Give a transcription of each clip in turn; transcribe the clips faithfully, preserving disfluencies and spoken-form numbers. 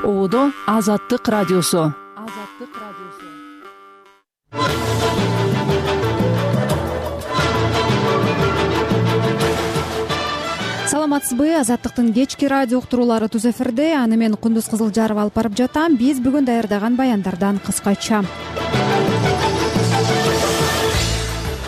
Оодо Азаттык радиосу. Азаттык радиосу. Саламатсызбы? Азаттыктын кечки радио уктуруулары туз эфирде. Аны мен Кундуз Кызылжаров алып барып жатам. Биз бүгүн даярдаган баяндардан кыскача.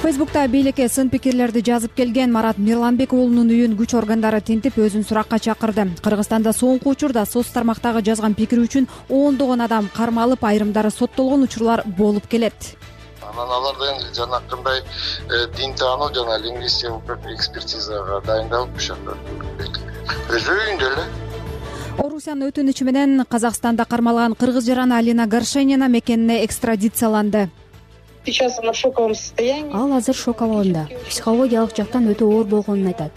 Фейсбукта бийликке сын пикирлерди жазып келген Марат Мирланбек уулунун үйүн күч органдары тинтип өзүн суракка чакырды. Кыргызстанда соңку учурда соц тармактагы жазган пикири үчүн ондогон адам кармалып, айрымдары соттолгон учурлар болуп келет. Анан аларды эми жанакындай дин таануу жана лингвистикалык экспертизага дайындалып ушунда өзү үйүндө эле. Орусиянын өтүнүчү менен Казакстанда кармалган кыргыз жараны Алина Горшенина мекенине экстрадицияланды. Сейчас она в шоковом состоянии. Ал азыр шок абалында. Психологиялык жактан өтө оор болгонун айтат.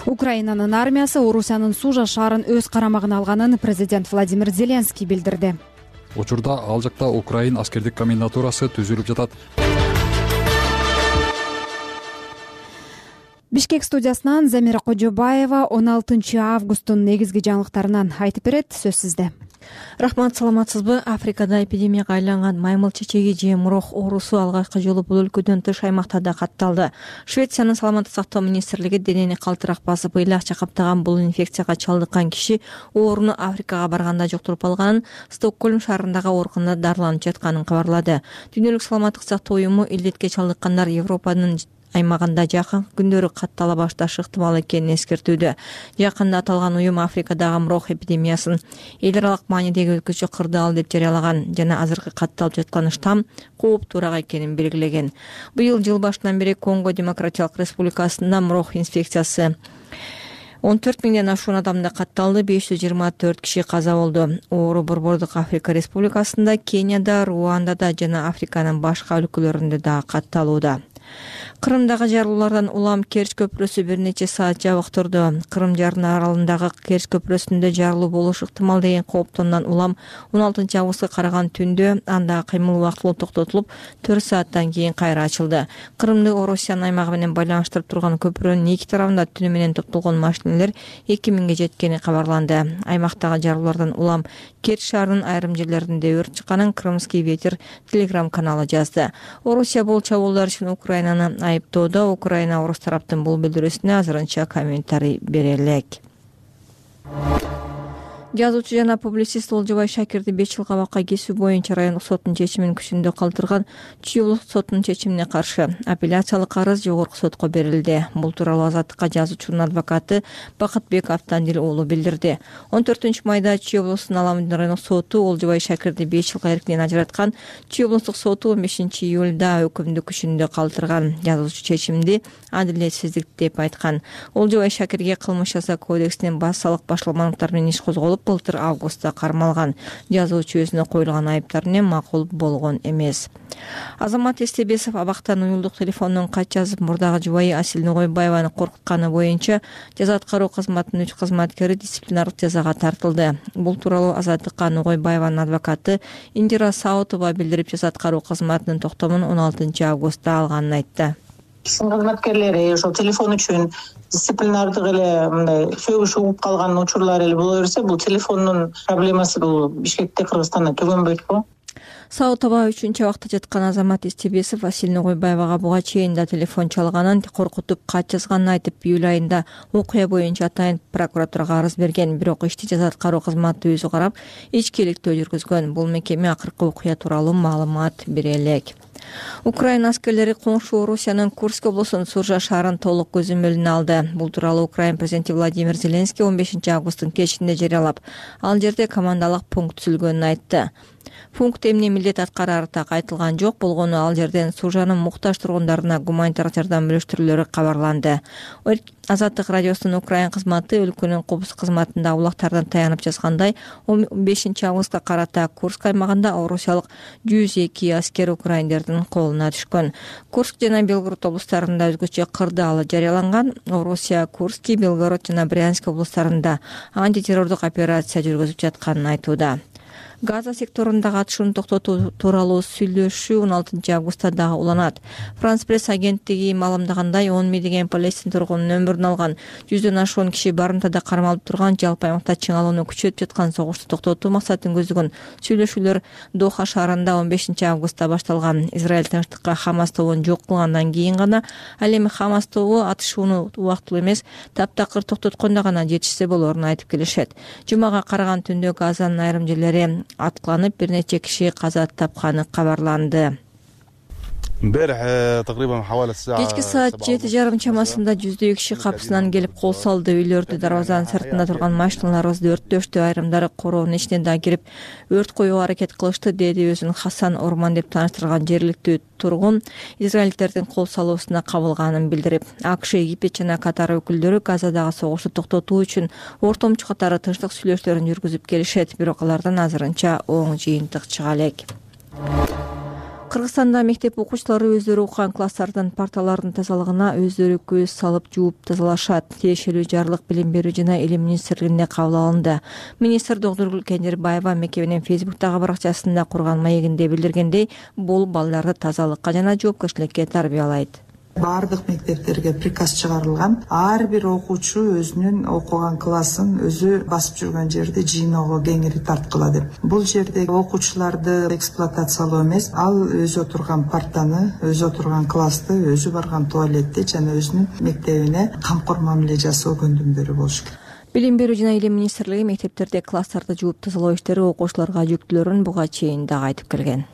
Украинанын армиясы Орусиянын Сужа шаарын өз карамагына алганын президент Владимир Зеленский билдирди. Учурда ал жакта Украин аскердик комендатурасы түзүлүп жатат. Бишкек студиясынан Замира Кожобаева он алтынчы августтун негизги жаңылыктарынан айтып берет. Сөз сизде. Рахмат, саламатсызбы? Африкада эпидемияга айланган маймыл чечеги же мурох оорусу алгачкы жолу бул өлкөдөн тыш аймактарда катталды. Швециянын саламаттык сактоо министрлиги денени калтырак басып, ыйлакча каптаган бул инфекцияга чалдыккан киши ооруну Африкага барганда жуктуруп алганын, Стокгольм шаарындагы ооруканада дарыланып жатканын кабарлады. Дүйнөлүк саламаттык сактоо уюму илдетке чалдыккандар Европанын аймагында жакын күндөрү каттала башташы ыктымал экенин эскертүүдө. Жакында аталган уюм Африкадагы мурох эпидемиясын эл аралык маанидеги өзгөчө кырдаал деп жарыялаган жана азыркы катталып жаткан штамм кооптуураак экенин белгилеген. Быйыл жыл башынан бери Конго Демократиялык Республикасында мурох инфекциясы он төрт миңден ашуун адамда катталды, беш жүз жыйырма төрт киши каза болду. Оору Борбордук Африка Республикасында, Кенияда, Руандада жана Африканын башка өлкөлөрүндө да катталууда. Кырымдагы жарылуулардан улам Керч көпүрөсү бир нече саат жабык турду. Кырым жараны аралындагы Керч көпүрөсүндө жарылуу болушу ыктымал деген кооптондон улам он алтынчы августка караган түндө андагы кыймыл убактылуу токтотулуп, төрт сааттан кийин кайра ачылды. Кырымды Орусиянын аймагы менен байланыштырып турган көпүрөнүн эки тарабында түнү менен топтолгон машинелер эки миңге жеткени кабарланды. Аймактагы жарылуулардан улам Керч шаарынын айрым жерлеринде өрт чыкканын Крымский ветер телеграм каналы жазды. Орусия бул чабуулдар үчүн Украинаны айыптоодо. Украина орус тараптын бул билдирүүсүнө азырынча комментарий бере элек. Жазуучу жана публицист Олжобай Шакирди беш жыл кабакка кесүү боюнча райондук соттун чечимин күчүндө калтырган Чүй соттунун чечимине каршы апелляциялык арыз жогорку сотко берилди. Бул тууралуу Азаттыкка жазуучунун адвокаты Бакытбек Автандил уулу билдирди. он төртүнчү майда Чүй облусунун Аламдын райондук соту Олжобай Шакирди беш жылга эркинен ажыраткан. Чүй облустук соту он бешинчи июлда өкүмдү күчүндө калтырган. Жазуучу чечимди адилетсиздик деп айткан. Олжобай Шакирге кылмыш жаза кодексинин базалык башаламалыктары менен иш козголуп, былтыр августта кармалган. Жазуучу өзүнө коюлган айыптар менен макул болгон эмес. Азамат Эстебесов абактан уюлдук телефондон кат жазып, мурдагы жубайы Асил Ногойбаеваны коркутканы боюнча жаза аткаруу кызматынын үч кызматкери дисциплинардык жазага тартылды. Бул тууралуу Азаттыкка Ногойбаеванын адвокаты Индира Саутова билдирип, жаза аткаруу кызматынын токтомун он алтынчы августта алганын айтты. Кызматкерлери ошол телефон үчүн дисциплинардык эле мындай сөгүш угуп калган учурлар эле боло берсе, бул телефондун проблемасы бул Бишкекте, Кыргызстанда түгөнбөйт-го. Саутова үчүнчү абакта жаткан Азамат Эстебесов Асил Ногойбаевага буга чейин да телефон чалганын, коркутуп кат жазганын айтып, июль айында окуя боюнча атайын прокуратурага арыз берген. Бирок ишти жаза аткаруу кызматы өзү карап, ичкиликтүү жүргүзгөн. Бул мекеме акыркы окуя тууралуу маалымат бере элек. Украина аскерлери коңшу Орусиянын Курск облусунун Суржа шаарын толук көзөмөлүнө алды. Бул тууралуу Украин президенти Владимир Зеленский он бешинчи августтун кечинде жарыялап, ал жерде командалык пункт түзүлгөнүн айтты. Пункт эмне милдет аткарары так айтылган жок. Болгону ал жерден Суржанын муктаж тургундарына гуманитардык жардам бөлүштүрүүлөрү кабарланды. Азаттык радиосунун Украин кызматы өлкөнүн коопсуздук кызматында улактардан таянып жазгандай, он бешинчи августка карата Курск аймагында орусиялык жүз эки аскер украиндердин колуна түшкөн. Курск жана Белгород облустарында өзгөчө кырдаалы жарыяланган. Орусия Курский, Белгород жана Брянск облустарында антитеррордук операция жүргүзүп жатканын айтууда. Газа секторундагы атышууну токтотуу тууралуу сүйлөшүү он алтынчы августта дагы уланат. Франс пресс агенттиги маалымдагандай он миңдеген палестин тургунунун өмүрүн алган, жүздөн ашуун киши барымтада кармалып турган, жалпы аймакта чыңалууну күчөтүп жаткан согушту токтотуу максатын көздөгөн сүйлөшүүлөр Доха шаарында он бешинчи августта башталган. Израиль тынчтыкка Хамас тобун жок кылгандан кийин гана ал эми Хамас тобу атышууну убактылуу эмес, таптакыр токтоткондо гана жетишсе болоорун айтып келишет. Жумага караган түндө Газанын айрым жерлери аткыланып, бир нече киши каза тапканы кабарланды. Кечки саат жети жарым чамасында жүздөй киши капысынан келип кол салды. Үйлөрдү, дарбазанын сыртында турган машиналарыбызды өрттөштү. Айрымдары короонун ичине да кирип өрт коюуга аракет кылышты, деди өзүн Хасан Орман деп тааныштырган жергиликтүү тургун израильдердин кол салуусуна кабылганын билдирип, АКШ, Египет жана Катар өкүлдөрү Газадагы согушту токтотуу үчүн ортомчу катары тынчтык сүйлөшүүлөрүн жүргүзүп келишет, бирок алардан азырынча оң жыйынтык чыга элек. Кыргызстанда мектеп окуучулары өздөрү окуган класстардын парталарынын тазалыгына өздөрү көз салып жууп тазалашат. Тиешелүү жарлык Билим берүү жана Илим министрлигинде кабыл алынды. Министр Догдургүл Кендирбаева мекеменин Фейсбуктагы баракчасында курган маегинде билдиргендей, бул балдарды тазалыкка жана жоопкерчиликке тарбиялайт. Бардык мектептерге приказ чыгарылган. Ар бир окуучу өзүнүн окуган классын өзү басып жүргөн жерди жыйноого кеңири тарткыла деп. Бул жерде окуучуларды эксплуатациялоо эмес, ал өзү отурган партаны, өзү отурган классты, өзү барган туалетти жана өзүнүн мектебине камкор мамиле жасоо көндүмдөрү болуш керек. Билим берүү жана Илим министрлиги мектептерде класстарды жууп тазалоо иштери окуучуларга жүктөлөрүн буга чейин дагы айтып келген.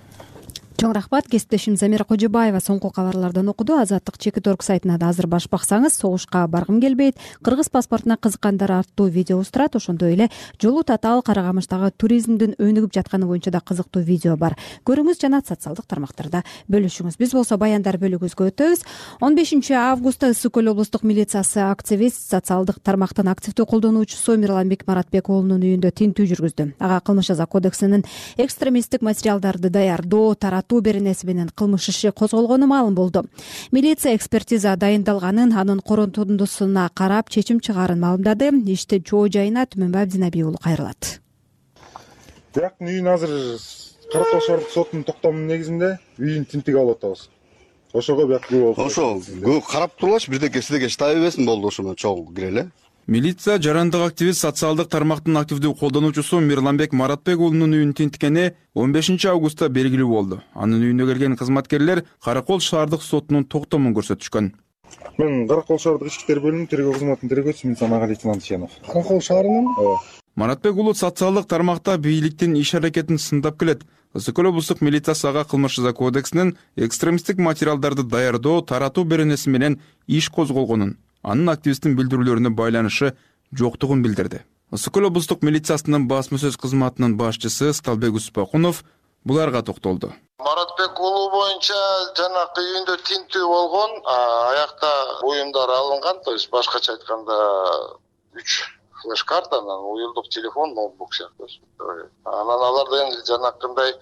Чоң рахмат. Кесиптешим Замира Кожобаева соңку кабарлардан окуду. Азаттык чекит орг сайтына да азыр баш баксаңыз, согушка баргым келбейт, кыргыз паспортуна кызыккандар аттуу видеобуз турат. Ошондой эле Жолу Татаал Карагамыштагы туризмдин өнүгүп жатканы боюнча да кызыктуу видео бар. Көрүңүз жана социалдык тармактарда бөлүшүңүз. Биз болсо баяндар бөлүгүбүзгө өтөбүз. он бешинчи августта Ысык көл облустук милициясы активист, социалдык тармактын активдүү колдонуучусу Мирланбек Маратбек уулунун үйүндө тинтүү жүргүздү. Ага кылмыш жаза кодексинин экстремисттик материалдарды даярдоо, таратуу беренеси менен кылмыш иши козголгону маалым болду. Милиция экспертиза дайындалганын, анын корутундусуна карап чечим чыгаарын маалымдады. Ишти чоо жайына Түмөнбай Абдинабий уулу кайрылат. Бирактын үйүн азыр Каракол шаардык сотунун токтомунун негизинде үйүн тинтип алып атабыз. Ошого бияк күбө болду. Ошо карап турулачы, бирдеке сиздерге таба бербесин болду, ошону чогуу киреле. Милиция жарандык активист, социалдык тармактын активдүү колдонуучусу Мирланбек Маратбек уулунун үйүн тинткени он бешинчи августта белгилүү болду. Анын үйүнө келген кызматкерлер Каракол шаардык сотунун токтомун көрсөтүшкөн. Мен Каракол шаардык ички иштер бөлүмүнүн тергөө кызматынын тергөөчүсү Мисамага лейтенант Ченов. Каракол шаарынын? Ооба. Маратбек уулу социалдык тармакта бийликтин иш аракетин сындап келет. Ысык көл облустук милициясы ага кылмыш жаза кодексинин экстремисттик материалдарды даярдоо, таратуу беренеси менен иш козголгонун, анын активисттин билдирүүлөрүнө байланышы жоктугун билдирди. Ысык көл облустук милициясынын басма сөз кызматынын башчысы Сталбек Успакунов буларга токтолду. Маратбек уулу боюнча жанакы үйүндө тинтүү болгон, аякта буюмдар алынган, то есть башкача айтканда үч флеш-карта, анан уюлдук телефон, ноутбук сыяктуу. Анан аларды эми жанакындай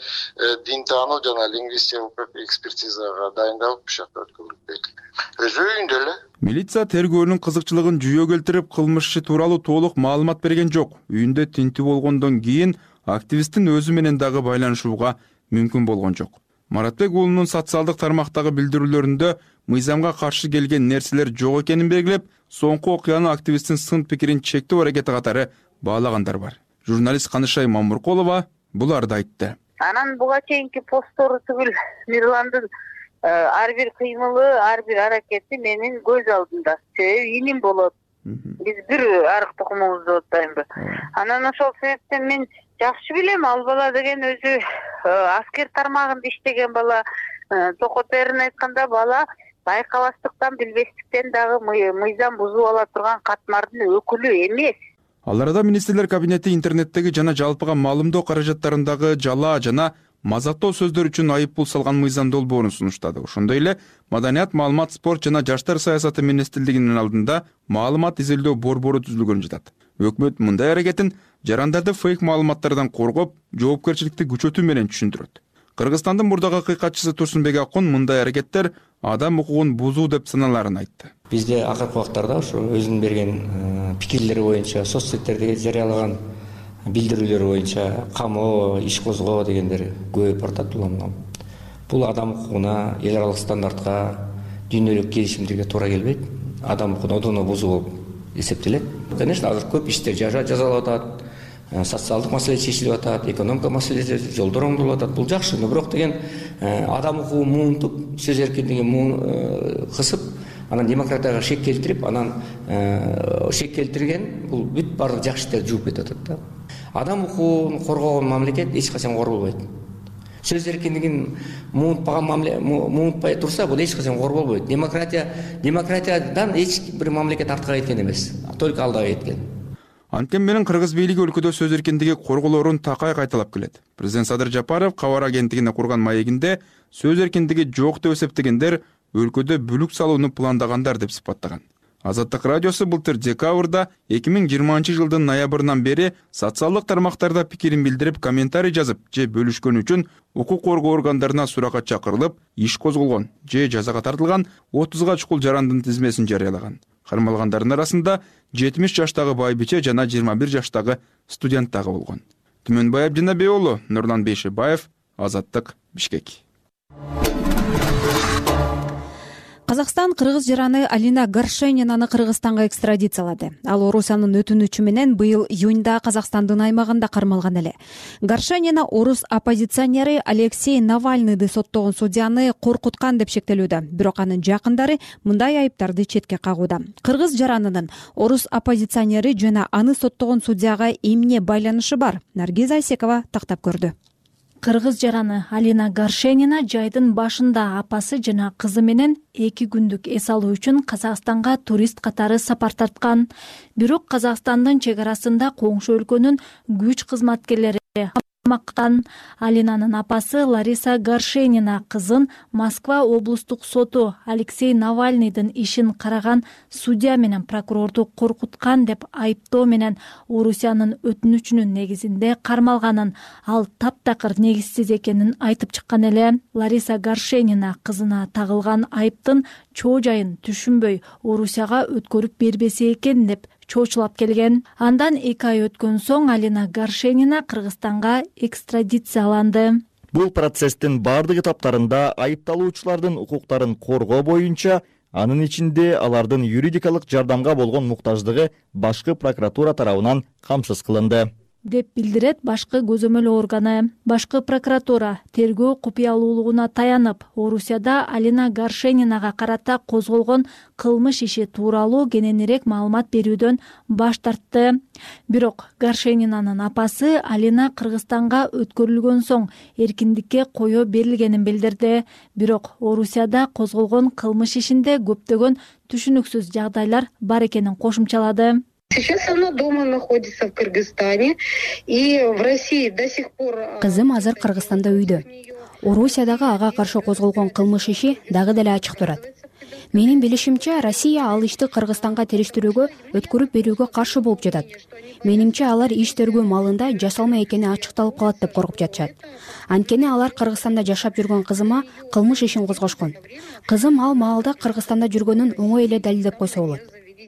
дин таануу жана лингвистикалык экспертизага дайындалып, бушакта өткөрүлдү. Өзү үйүндө эле. Милиция тергөөнүн кызыкчылыгын жүйө келтирип, кылмыш иши тууралуу толук маалымат берген жок. Үйүндө тинтүү болгондон кийин активисттин өзү менен дагы байланышууга мүмкүн болгон жок. Маратбек уулунун социалдык тармактагы билдирүүлөрүндө мыйзамга каршы келген нерселер жок экенин белгилеп, соңку окуяны активисттин сын пикирин чектөө аракети катары баалагандар бар. Журналист Канышай Мамуркулова буларды айтты. Анан буга чейинки посттору түгүл Мирландын ар бир кыймылы, ар бир аракети менин көз алдымда. Себеби иним болот. Биз бир арык тукумубузду оттоймбу. Анан ошол себептен мен жакшы билем, ал бала деген өзү аскер тармагында иштеген бала. Токотерин айтканда бала байкабастыктан, билбестиктен дагы мыйзам бузуп ала турган катмардын өкүлү эмес. Ал арада министрлер кабинети интернеттеги жана жалпыга маалымдоо каражаттарындагы жала жана мазактоо сөздөр үчүн айыппул салган мыйзам долбоорун сунуштады. Ошондой эле Маданият, маалымат, спорт жана жаштар саясаты министрлигинин алдында маалымат изилдөө борбору түзүлгөн жатат. Өкмөт мындай аракетин жарандарды фейк маалыматтардан коргоп, жоопкерчиликти күчөтүү менен түшүндүрөт. Кыргызстандын мурдагы кыйкатчысы Турсунбек Акун мындай аракеттер адам укугун бузуу деп саналарын айтты. Бизде акыркы убактарда ошо өзүнүн берген пикирлери боюнча соц сеттерде жарыялаган билдирүүлөр боюнча камоо, иш козгоо дегендер көбөйүп баратат. Бул адам укугуна, эл аралык стандартка, дүйнөлүк келишимдерге туура келбейт. Адам укугун одоно бузуу болуп эсептелет. Конечно, азыр көп иштер жазалып атат, социалдык маселе чечилип атат, экономика маселеси, жолдор оңдолуп атат. Бул жакшы, но бирок деген адам укугун муунтуп, сөз эркиндигин муун кысып, анан демократияга шек келтирип, анан шек келтирген бул бүт баардык жакшы иштерди жууп кетип атат да. Адам укугун коргогон мамлекет эч качан корголбойт. Сөз эркиндигин муунтпаган мамлекет муунтпай турса, бул эч качан корголбойт. Демократия демократиядан эч бир мамлекет артка кеткен эмес, только алдыга кеткен. Анткени менен кыргыз бийлиги өлкөдө сөз эркиндиги корголоорун такай кайталап келет. Президент Садыр Жапаров кабар агенттигине курган маегинде сөз эркиндиги жок деп эсептегендер өлкөдө бүлүк салууну пландагандар деп сыпаттаган. Азаттык радиосу былтыр декабрда эки миң жыйырманчы жылдын ноябрынан бери социалдык тармактарда пикирин билдирип, комментарий жазып же бөлүшкөн үчүн укук коргоо органдарына суракка чакырылып, иш козголгон же жазага тартылган отузга чукул жарандын тизмесин жарыялаган. Кармалгандардын арасында жетимиш жаштагы байбиче жана жыйырма бир жаштагы студент дагы болгон. Түмөнбай Абдинабек уулу, Нурлан Бейшебаев, Азаттык, Бишкек. Казакстан кыргыз жараны Алина Горшенинаны Кыргызстанга экстрадициялады. Ал Орусиянын өтүнүчү менен быйыл июнда Казакстандын аймагында кармалган эле. Горшенина орус оппозиционери Алексей Навальныйды соттогон судьяны коркуткан деп шектелүүдө. Бирок анын жакындары мындай айыптарды четке кагууда. Кыргыз жаранынын орус оппозиционери жана аны соттогон судьяга эмне байланышы бар? Наргиз Айсекова тактап көрдү. Кыргыз жараны Алина Горшенина жайдын башында апасы жана кызы менен эки күндүк эс алуу үчүн Казакстанга турист катары сапар тарткан. Бирок Казакстандын чек арасында коңшу өлкөнүн күч кызматкерлери камаккан. Алинанын апасы Лариса Горшенина кызын Москва облустук соту Алексей Навальныйдын ишин караган судья менен прокурорду коркуткан деп айыптоо менен Орусиянын өтүнүчүнүн негизинде кармалганын, ал таптакыр негизсиз экенин айтып чыккан эле. Лариса Горшенина кызына тагылган айыптын чоо жайын түшүнбөй Орусияга өткөрүп бербесе экен деп чоочулап келген. Андан эки ай өткөн соң Алина Горшенина Кыргызстанга экстрадицияланды. Бул процесстин бардык этаптарында айыпталуучулардын укуктарын коргоо боюнча, анын ичинде алардын юридикалык жардамга болгон муктаждыгы башкы прокуратура тарабынан камсыз кылынды деп билдирет башкы көзөмөл органы. Башкы прокуратура тергөө купуялуулугуна таянып, Орусияда Алина Горшенинага карата козголгон кылмыш иши тууралуу кененирээк маалымат берүүдөн баш тартты. Бирок Горшенинанын апасы Алина Кыргызстанга өткөрүлгөн соң эркиндикке коё берилгенин билдирди. Бирок Орусияда козголгон кылмыш ишинде көптөгөн түшүнүксүз жагдайлар бар экенин кошумчалады. Сейчас она дома находится в Кыргызстане, и в России до сих пор... Кызым азыр Кыргызстанда үйдө. Орусиядагы ага каршы козголгон кылмыш иши дагы деле ачык турат. Менин билишимче, Россия ал ишти Кыргызстанга териштирүүгө, өткөрүп берүүгө каршы болуп жатат. Менимче, алар иш тергөө маалында жасалма экени ачыкталып калат деп коркуп жатышат. Анткени алар Кыргызстанда жашап жүргөн кызыма кылмыш ишин козгошкон. Кызым ал маалда Кыргызстанда жүргөнүн оңой эле далилдеп койсо болот.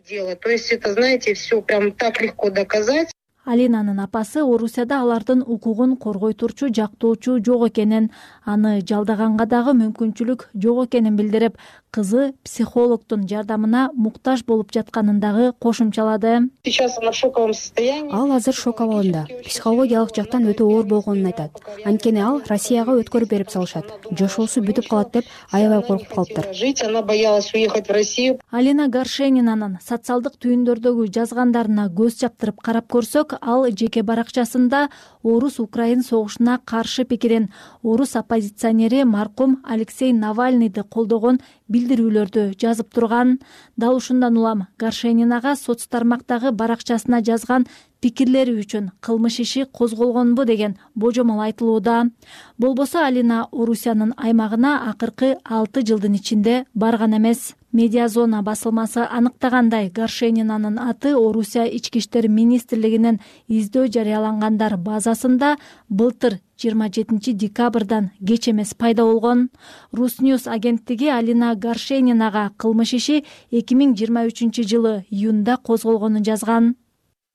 То есть это, знаете, все прям так легко доказать. Алинанын апасы Орусияда алардын укугун коргой турчу жактоочу жок экенин, аны жалдаганга дагы мүмкүнчүлүк жок экенин билдирип, кызы психологдун жардамына муктаж болуп жатканын дагы кошумчалады. Сейчас она в шоковом состоянии. Ал азыр шок абалында, психологиялык жактан өтө оор болгонун айтат. Анткени ал Россияга өткөрүп берип салышат. Жашоосу бүтүп калат деп аябай коркуп калыптыр. Жить, она боялась уехать в Россию. Алина Горшенинанын социалдык түйүндөрдөгү жазгандарына көз чаптырып карап көрсөк, ал жеке баракчасында орус-украин согушуна каршы пикирин, орус оппозиционери маркум Алексей Навальныйды колдогон билдирүүлөрдү жазып турган. Дал ушундан улам Горшенинага соц тармактагы баракчасына жазган пикирлери үчүн кылмыш иши козголгонбу деген божомол айтылууда. Болбосо Алина Орусиянын аймагына акыркы алты жылдын ичинде барган эмес. Медиазона басылмасы аныктагандай, Горшенинанын аты Орусия ички иштер министрлигинин издөө жарыялангандар базасында былтыр жыйырма жетинчи декабрдан кеч эмес пайда болгон. Русньюз агенттиги Алина Горшенинага кылмыш иши эки миң жыйырма үчүнчү жылы июнда козголгонун жазган.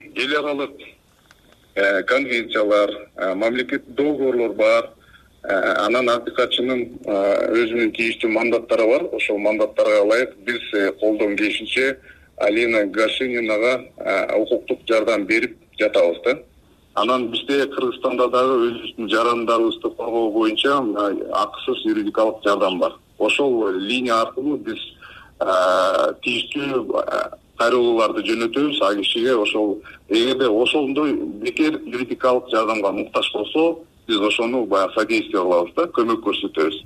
Эл аралык конвенциялар, мамлекеттик договорлор бар. Анан акыйкатчынын өзүнүн тийиштүү мандаттары бар. Ошол мандаттарга ылайык биз колдон келишинче Алина Горшенинага укуктук жардам берип жатабыз да. Анан бизде Кыргызстанда дагы өзүбүздүн жарандарыбызды коргоо боюнча акысыз юридикалык жардам бар. Ошол линия аркылуу биз тийиштүү кайрылууларды жөнөтөбүз. А кишиге ошол эгерде ошондой бекер юридикалык жардамга муктаж болсо, биз ошону баягы содействие кылабыз да, көмөк көрсөтөбүз,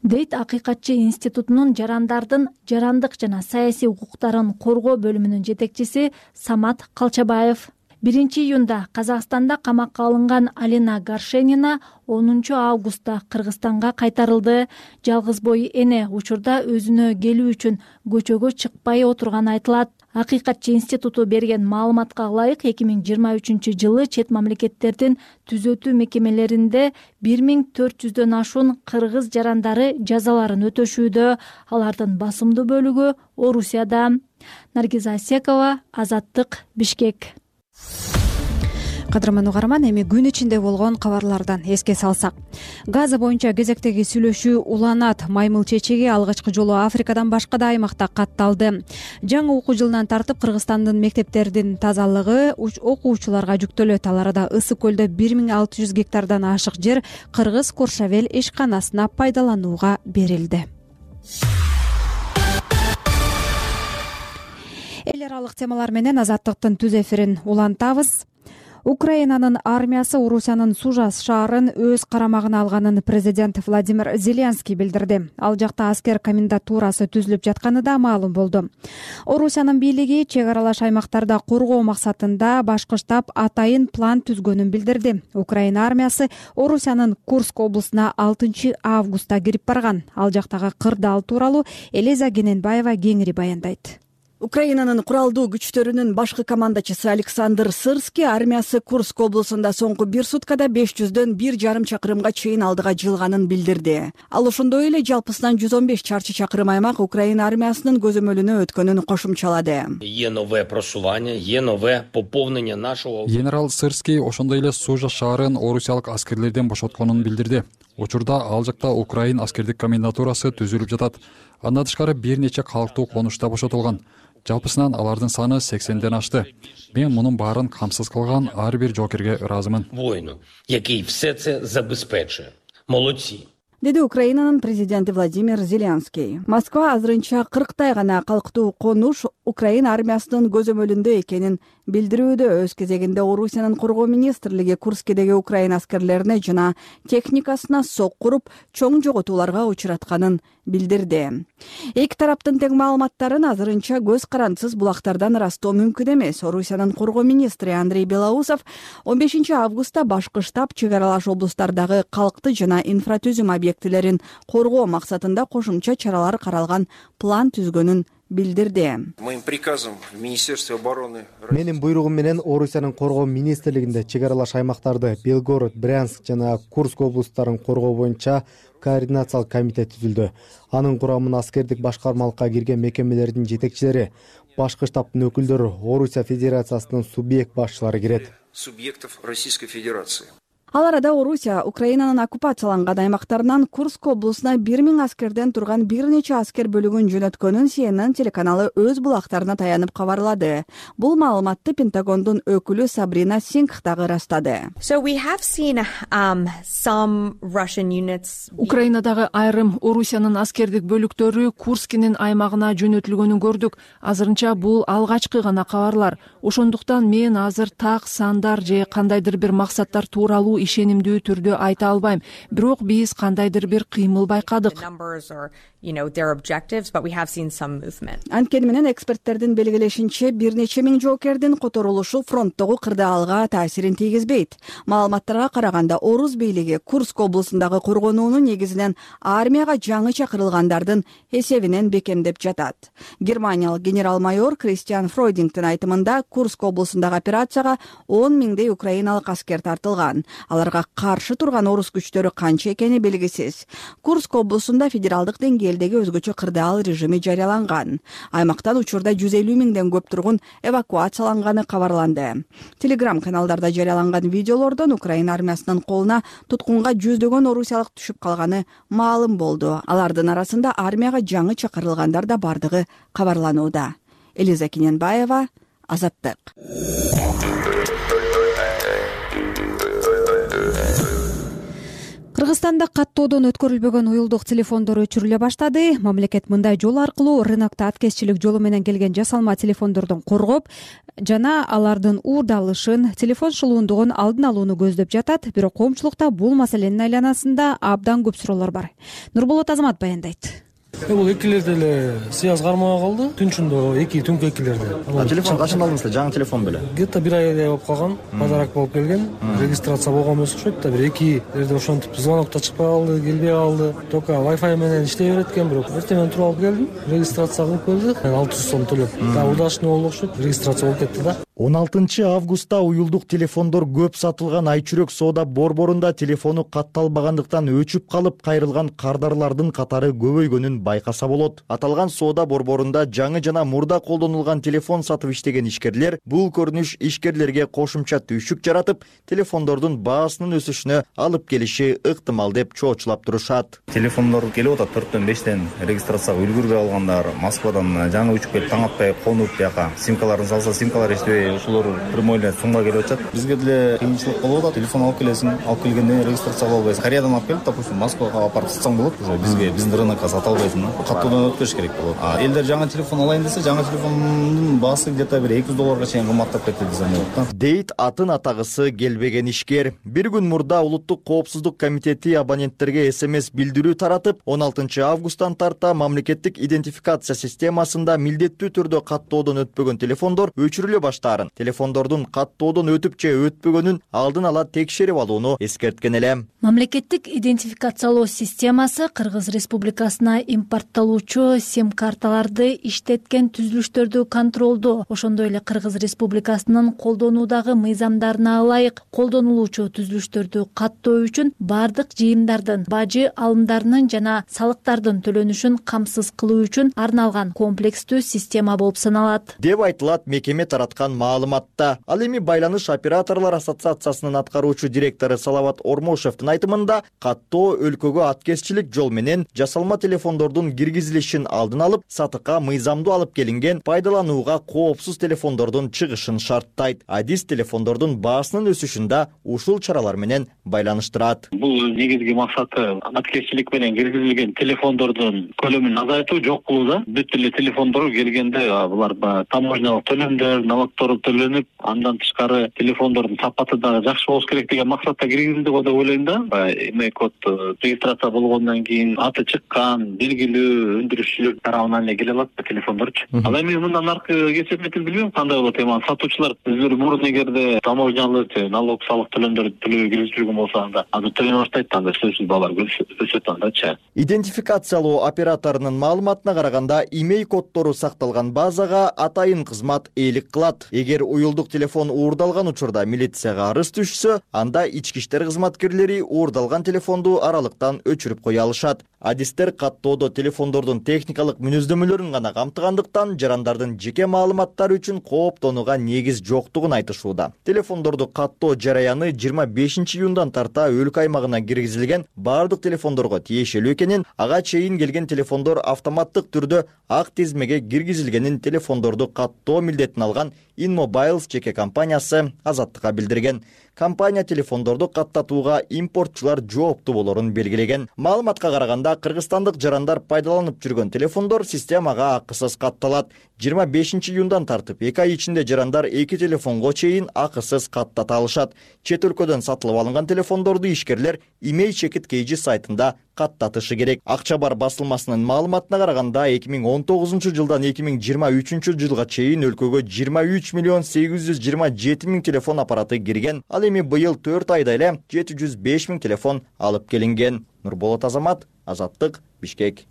дейт Акыйкатчы институтунун жарандардын жарандык жана саясий укуктарын коргоо бөлүмүнүн жетекчиси Самат Калчабаев. биринчи июнда Казакстанда камакка алынган Алина Горшенина онунчу августта Кыргызстанга кайтарылды. Жалгыз бой эне учурда өзүнө келүү үчүн көчөгө чыкпай отурганы айтылат. Акыйкатчы институту берген маалыматка ылайык эки миң жыйырма үчүнчү жылы чет мамлекеттердин түзөтүү мекемелеринде бир миң төрт жүздөн ашуун кыргыз жарандары жазаларын өтөшүүдө. Алардын басымдуу бөлүгү Орусияда. Наргиза Асекова, Азаттык, Бишкек. Кадырман угарман, эми күн ичинде болгон кабарлардан эске салсак. Газа боюнча кезектеги сүйлөшүү уланат. Маймыл чечеги алгачкы жолу Африкадан башка да аймакта катталды. Жаңы окуу жылынан тартып Кыргызстандын мектептердин тазалыгы окуучуларга жүктөлөт. Ал арада Ысык көлдө бир миң алты жүз гектардан ашык жер Кыргыз Коршавел ишканасына пайдаланууга берилди. Эл аралык темалар менен Азаттыктын түз эфирин улантабыз. Украинанын армиясы Орусиянын Сужа шаарын өз карамагына алганын президент Владимир Зеленский билдирди. Ал жакта аскер комендатурасы түзүлүп жатканы да маалым болду. Орусиянын бийлиги чек аралаш аймактарда коргоо максатында башкы-штаб атайын план түзгөнүн билдирди. Украина армиясы Орусиянын Курск облусуна алтынчы августта кирип барган. Ал жактагы кырдаал тууралуу Элиза Гененбаева кеңири баяндайт. Украинанын куралдуу күчтөрүнүн башкы командачысы Александр Сырский армиясы Курск облусунда соңку бир суткада беш жүздөн бир жарым чакырымга чейин алдыга жылганын билдирди. Ал ошондой эле жалпысынан жүз он беш чарчы чакырым аймак Украина армиясынын көзөмөлүнө өткөнүн кошумчалады. Є нове просування, є нове поповнення нашого. Генерал Сырский ошондой эле Сужа шаарын орусиялык аскерлерден бошотконун билдирди. Учурда ал жакта Украин аскердик комендатурасы түзүлүп жатат. Андан тышкары бир нече калктуу конушта бошотулган. Жалпысынан алардын саны сексенден ашты. Мен мунун баарын камсыз кылган ар бир жоокерге ыраазымын. Воїну, який все це забезпечує. Молодці. Деди Украинанын президенти Владимир Зеленский. Москва азырынча кырктай гана калктуу конуш Украина армиясынын көзөмөлүндө экенин билдирүүдө. Өз кезегинде Орусиянын коргоо министрлиги Курскедеги Украина аскерлерине жана техникасына сок куруп, чоң жоготууларга учуратканын билдирди. Эки тараптын тең маалыматтарын азырынча көз карандысыз булактардан ырастоо мүмкүн эмес. Орусиянын коргоо министри Андрей Белоусов он бешинчи августта башкы штаб чек аралаш облустардагы калкты жана инфратүзүм объектилерин коргоо максатында кошумча чаралар каралган план түзгөнүн билдирди. Моим приказом в Министерстве обороны. Менин буйругум менен Орусиянын коргоо министрлигинде чек аралаш аймактарды Белгород, Брянск жана Курск облустарын коргоо боюнча координациялык комитет түзүлдү. Анын курамына аскердик башкармалыкка кирген мекемелердин жетекчилери, башкы штабтын өкүлдөрү, Орусия Федерациясынын субъект башчылары кирет. Субъектов Российской Федерации. Ал арада Орусия Украинанын оккупацияланган аймактарынан Курск облусуна бир миң аскерден турган бир нече аскер бөлүгүн жөнөткөнүн Си Эн Эн телеканалы өз булактарына таянып кабарлады. Бул маалыматты Пентагондун өкүлү Сабрина Сингх дагы ырастады. So we have seen um, some Russian units. Украинадагы айрым Орусиянын аскердик бөлүктөрү Курскинин аймагына жөнөтүлгөнүн көрдүк. Азырынча бул алгачкы гана кабарлар. Ошондуктан мен азыр так сандар же кандайдыр бир максаттар тууралуу ишенимдүү түрдө айта албайм. Бирок биз кандайдыр бир кыймыл байкадык. Анткени менен эксперттердин белгилешинче бир нече миң жоокердин которулушу фронттогу кырдаалга таасирин тийгизбейт. Маалыматтарга караганда Орус бийлиги Курск облусундагы коргонууну негизинен армияга жаңы чакырылгандардын эсебинен бекемдеп жатат. Германиялык генерал-майор Кристиан Фройдингтин айтымында Курск облусундагы операцияга он миңдей украиналык аскер тартылган. аларга каршы турган орус күчтөрү канча экени белгисиз. Курск облусунда федералдык деңгээлдеги өзгөчө кырдаал режими жарыяланган. Аймактан учурда жүз элүү миңден көп тургун эвакуацияланганы кабарланды. Телеграм каналдарда жарыяланган видеолордон Украина армиясынын колуна туткунга жүздөгөн орусиялык түшүп калганы маалым болду. Алардын арасында армияга жаңы чакырылгандар да бардыгы кабарланууда. Элиза Кененбаева, Азаттык. Кыргызстанда каттоодон өткөрүлбөгөн уюлдук телефондор өчүрүлө баштады. Мамлекет мындай жол аркылуу рынокто аткезчилик жолу менен келген жасалма телефондордун коргоп жана алардын уурдалышын, телефон шылуундугун алдын алууну көздөп жатат. Бирок коомчулукта бул маселенин айланасында абдан көп суроолор бар. Нурболот Азамат баяндайт. Бул экилерде эле связь кармага калды. Түнчүндө эки түнкү экилерде. Телефон качан алдыңыздар? Жаңы телефон беле? Где-то бир айдай болуп калган. Подарок болуп келген. Регистрация болгон эмес окшойт да. Бир эки жерде ошентип звонок да чыкпай калды, келбей калды. Только Wi-Fi менен иштей берет экен, бирок эртең туруп алып келдим. Регистрация кылып келди. алты жүз сом төлөп. Да, удачный болду окшойт. Регистрация болуп кетти да. он алтынчы августта уюлдук телефондор көп сатылган Айчүрөк соода борборунда телефону катталбагандыктан өчүп калып кайрылган кардарлардын катары көбөйгөнүн байкаса болот. Аталган соода борборунда жаңы жана мурда колдонулган телефон сатып иштеген ишкерлер бул көрүнүш ишкерлерге кошумча түйшүк жаратып, телефондордун баасынын өсүшүнө алып келиши ыктымал деп чоочулап турушат. Телефондор келип атат төрттөн бештен регистрацияга үлгүрбөй алгандар, Москвадан жаңы учуп келип таң атпай конуп бияка симкаларын салса, симкалар иштебей ушулар прямойлер сумга келип атат. Бизге деле кыйынчылык болуп атат. Телефон алып келесиң, алып келгенде регистрация кыла албайсың. Кореядан алып келип, допустим, Москвага алып барып сатсаң болот. Бизге биздин рынокко сата албайсың. Каттоодон өткөрүш керек болот. А элдер жаңы телефон алайын десе, жаңы телефондун баасы где-то бир эки жүз долларга чейин кымбаттап кетти десем болот. Дейт атын атагысы келбеген ишкер. Бир күн мурда Улуттук коопсуздук комитети абоненттерге СМС билдирүү таратып, он алтынчы августтан тарта мамлекеттик идентификация системасында милдеттүү түрдө каттоодон өтпөгөн телефондор өчүрүлө баштаарын, телефондордун каттоодон өтүп же өтпөгөнүн алдын ала текшерип алууну эскерткен эле. Мамлекеттик идентификациялоо системасы Кыргыз Республикасына импорттолуучу сим карталарды иштеткен түзүлүштөрдү контролдоо, ошондой эле Кыргыз Республикасынын колдонуудагы мыйзамдарына ылайык колдонулуучу түзүлүштөрдү каттоо үчүн бардык жыйымдардын, бажы алымдарынын жана салыктардын төлөнүшүн камсыз кылуу үчүн арналган комплекстүү система болуп саналат деп айтылат мекеме тараткан маалыматта. Ал эми Байланыш операторлор ассоциациясынын аткаруучу директору Салават Ормошевдин айтымында, каттоо өлкөгө аткезчилик жол менен жасалма телефондордун киргизилишин алдын алып, сатыкка мыйзамдуу алып келинген пайдаланууга коопсуз телефондордун чыгышын шарттайт. Адис телефондордун баасынын өсүшүн да ушул чаралар менен байланыштырат. Бул негизги максаты аткезчилик менен киргизилген телефондордун көлөмүн азайтуу, жок кылууда. Бүт эле телефондор келгенде булар таможнялык төлөмдөр, налогдор төлөнүп, андан тышкары телефондордун сапаты дагы жакшы болуш керек деген максатта киргизилди го деп ойлойм да. Эмне код регистрация болгондон кийин аты чыккан, белгилүү өндүрүшчүлөр тарабынан эле келе алат телефондорчу. Ал эми мындан аркы кесепетин билбейм кандай болот. Эми сатуучулар өздөрү мурун эгерде таможнялык, налог, салык төлөмдөрдү төлөбөй киргизип жүргөн болсо, анда аны төлөй баштайт, анда сөзсүз баалар өсөт андачы. Идентификациялоо операторунун маалыматына караганда, имей коддору сакталган базага атайын кызмат ээлик кылат. Эгер уюлдук телефон уурдалган учурда милицияга арыз түшсө, анда ички иштер кызматкерлери уурдалган телефонду аралыктан өчүрүп кое алышат. Адистер каттоодо телефондордун техникалык мүнөздөмөлөрүн гана камтыгандыктан жарандардын жеке маалыматтары үчүн кооптонууга негиз жоктугун айтышууда. Телефондорду каттоо жараяны жыйырма бешинчи июндан тарта өлкө аймагына киргизилген бардык телефондорго тиешелүү экенин, ага чейин келген телефондор автоматтык түрдө ак тизмеге киргизилгенин телефондорду каттоо милдетин алган InMobiles жеке компаниясы Азаттыкка билдирген. Компания телефондорду каттатууга импортчулар жооптуу болорун белгилеген. Маалыматка караганда, кыргызстандык жарандар пайдаланып жүргөн телефондор системага акысыз катталат. жыйырма бешинчи июндан тартып эки ай ичинде жарандар эки телефонго чейин акысыз каттата алышат. Чет өлкөдөн сатылып алынган телефондорду ишкерлер имей чекит кейжи сайтында каттатышы керек. Акча бар басылмасынын маалыматына караганда, эки миң он тогузунчу жылдан эки миң жыйырма үчүнчү жылга чейин өлкөгө жыйырма үч миллион сегиз жүз жыйырма жети миң телефон аппараты кирген. Ал эми быйыл төрт айда эле жети жүз беш миң телефон алып келинген. Нурболот Азамат, Азаттык, Бишкек.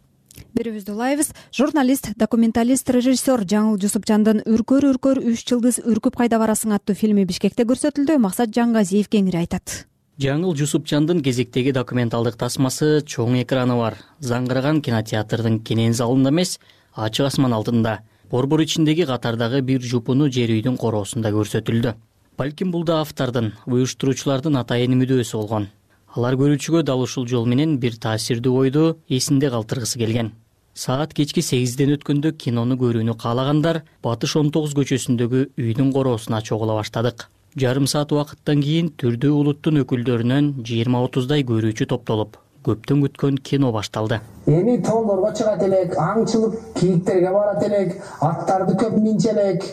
Берүүбүздү улайбыз. Журналист, документалист, режиссер Жаңыл Жусупжандын «Үркөр үркөр үч жылдыз үркүп кайда барасың» аттуу фильми Бишкекте көрсөтүлдү. Максат Жангазиев кеңири айтат. Жаңыл Жусупчандын кезектеги документалдык тасмасы чоң экраны бар. Заңгыраган кинотеатрдын кенен залында эмес, ачык асман алдында, борбор ичиндеги катардагы бир жупуну жер үйдүн короосунда көрсөтүлдү. Балким бул да автордун, уюштуруучулардын атайын мүдөөсү болгон. Алар көрүүчүгө дал ушул жол менен бир таасирдүү ойду эсинде калтыргысы келген. Саат кечки сегизден өткөндө кинону көрүүнү каалагандар Батыш он тогуз көчөсүндөгү үйдүн короосуна чогула баштадык. Жарым саат убакыттан кийин түрдүү улуттун өкүлдөрүнөн жыйырма отуздай көрүүчү топтолуп, көптөн күткөн кино башталды. Эми тоолорго чыгат элек, аңчылык кийиктерге барат элек, аттарды көп минчелек,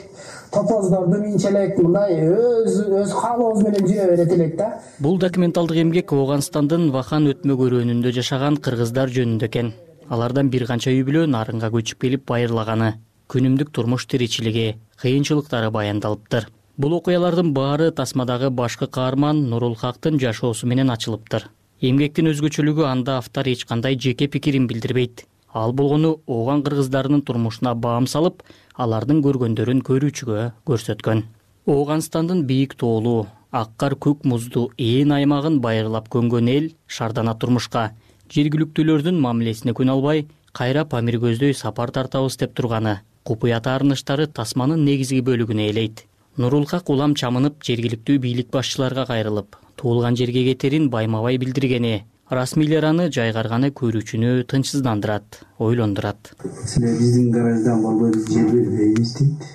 топоздорду минчелек, мындай өз өз каалообуз менен жүрө берет элек да. Бул документалдык эмгек Ооганстандын Вахан өтмө көрөөнүндө жашаган кыргыздар жөнүндө экен. Алардан бир канча үй бүлө нарынга көчүп келип байырлаганы, күнүмдүк турмуш тиричилиги, кыйынчылыктары баяндалыптыр. Бул окуялардын баары тасмадагы башкы каарман Нурулхактын жашоосу менен ачылыптыр. Эмгектин өзгөчөлүгү анда автор эч кандай жеке пикирин билдирбейт. Ал болгону ооган кыргыздарынын турмушуна баам салып, алардын көргөндөрүн көрүүчүгө көрсөткөн. Ооганстандын бийик тоолуу, аккар көк муздуу ээн аймагын байырлап көнгөн эл шардана турмушка, жергиликтүүлөрдүн мамилесине күн албай, кайра Памир көздөй сапар тартабыз деп турганы, купуя таарынычтары тасманын негизги бөлүгүнө ээлейт. Нурулхак улам чамынып жергиликтүү бийлик башчыларга кайрылып, туулган жерге кетерин байма-бай билдиргени, расмийлер аны жайгарганы көрүүчүнү тынчсыздандырат, ойлондурат. Силер биздин гараждан болбой биз жер бербейбиз дейт.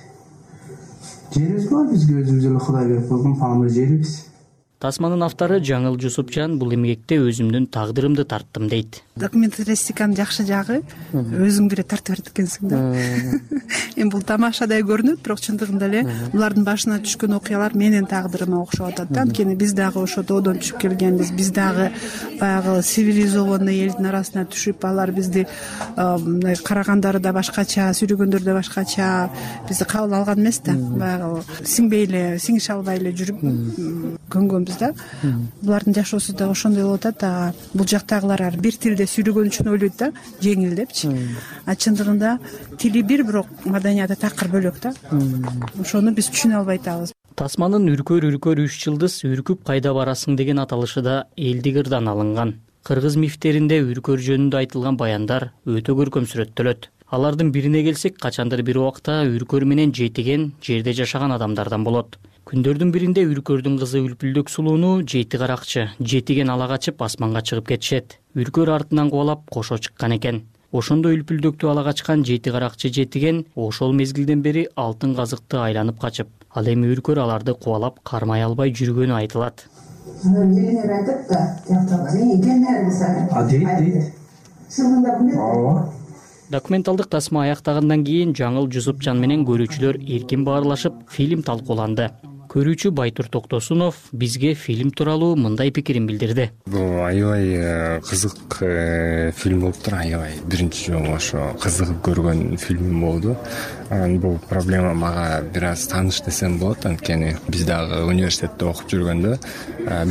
Жерибиз бар, бизге өзүбүз эле Кудай берип койгон Памир жерибиз. Тасманын автору Жаңыл Жусупчан бул эмгекте өзүмдүн тагдырымды тарттым дейт. Документалистиканын жакшы жагы өзүң деле тартып берет экенсиң да. Эми бул тамашадай көрүнөт, бирок чындыгында эле булардын башына түшкөн окуялар менин тагдырыма окшоп атат да. Анткени биз дагы ошо тоодон түшүп келгенбиз, биз дагы баягы цивилизованный элдин арасына түшүп, алар бизди мындай карагандары да башкача, сүйлөгөндөрү да башкача, бизди кабыл алган эмес да. Баягы сиңбей эле, сиңише албай эле жүрүп көнгөнбүз да. Булардын жашоосу да ошондой болуп атат. Бул жактагылар бир тилде сүйлөгөн үчүн ойлойт да, жеңил депчи. А чындыгында тили бир, бирок маданияты такыр бөлөк да. Ошону биз түшүнө албай атабыз. Тасманын үркөр үркөр үч жылдыз үркүп кайда барасың деген аталышы да элдик ырдан алынган. Кыргыз мифтеринде үркөр жөнүндө айтылган баяндар өтө көркөм сүрөттөлөт. Алардын бирине келсек, качандыр бир убакта үркөр менен жетиген жерде жашаган адамдардан болот. Күндөрдүн биринде үркөрдүн кызы Үлпүлдөк сулууну жети каракчы, жетиген ала качып асманга чыгып кетишет. Үркөр артынан кубалап кошо чыккан экен. Ошондо Үлпүлдөктү ала качкан жети каракчы жетиген ошол мезгилден бери алтын казыкты айланып качып, ал эми үркөр аларды кубалап кармай албай жүргөнү айтылат. Документалдык тасма аяктагандан кийин Жаңыл Жусупчан менен көрүүчүлөр эркин баарлашып, фильм талкууланды. Көрүүчү Байтур Токтосунов бизге фильм тууралуу мындай пикирин билдирди. Бул аябай кызык фильм болуптур, аябай биринчи жолу ошо кызыгып көргөн фильм болду. Бул проблема мага бир аз тааныш десем болот, анткени биз дагы университетте окуп жүргөндө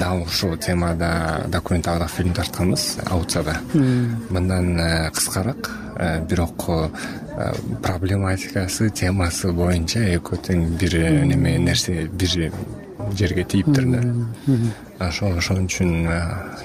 дал ушул темада документалдык фильм тартканбыз Аутсада. Мындан кыскараак, бирок проблематикасы, темасы боюнча экөө тең бир неме нерсе бир жерге тийиптир да. Ошол ошон үчүн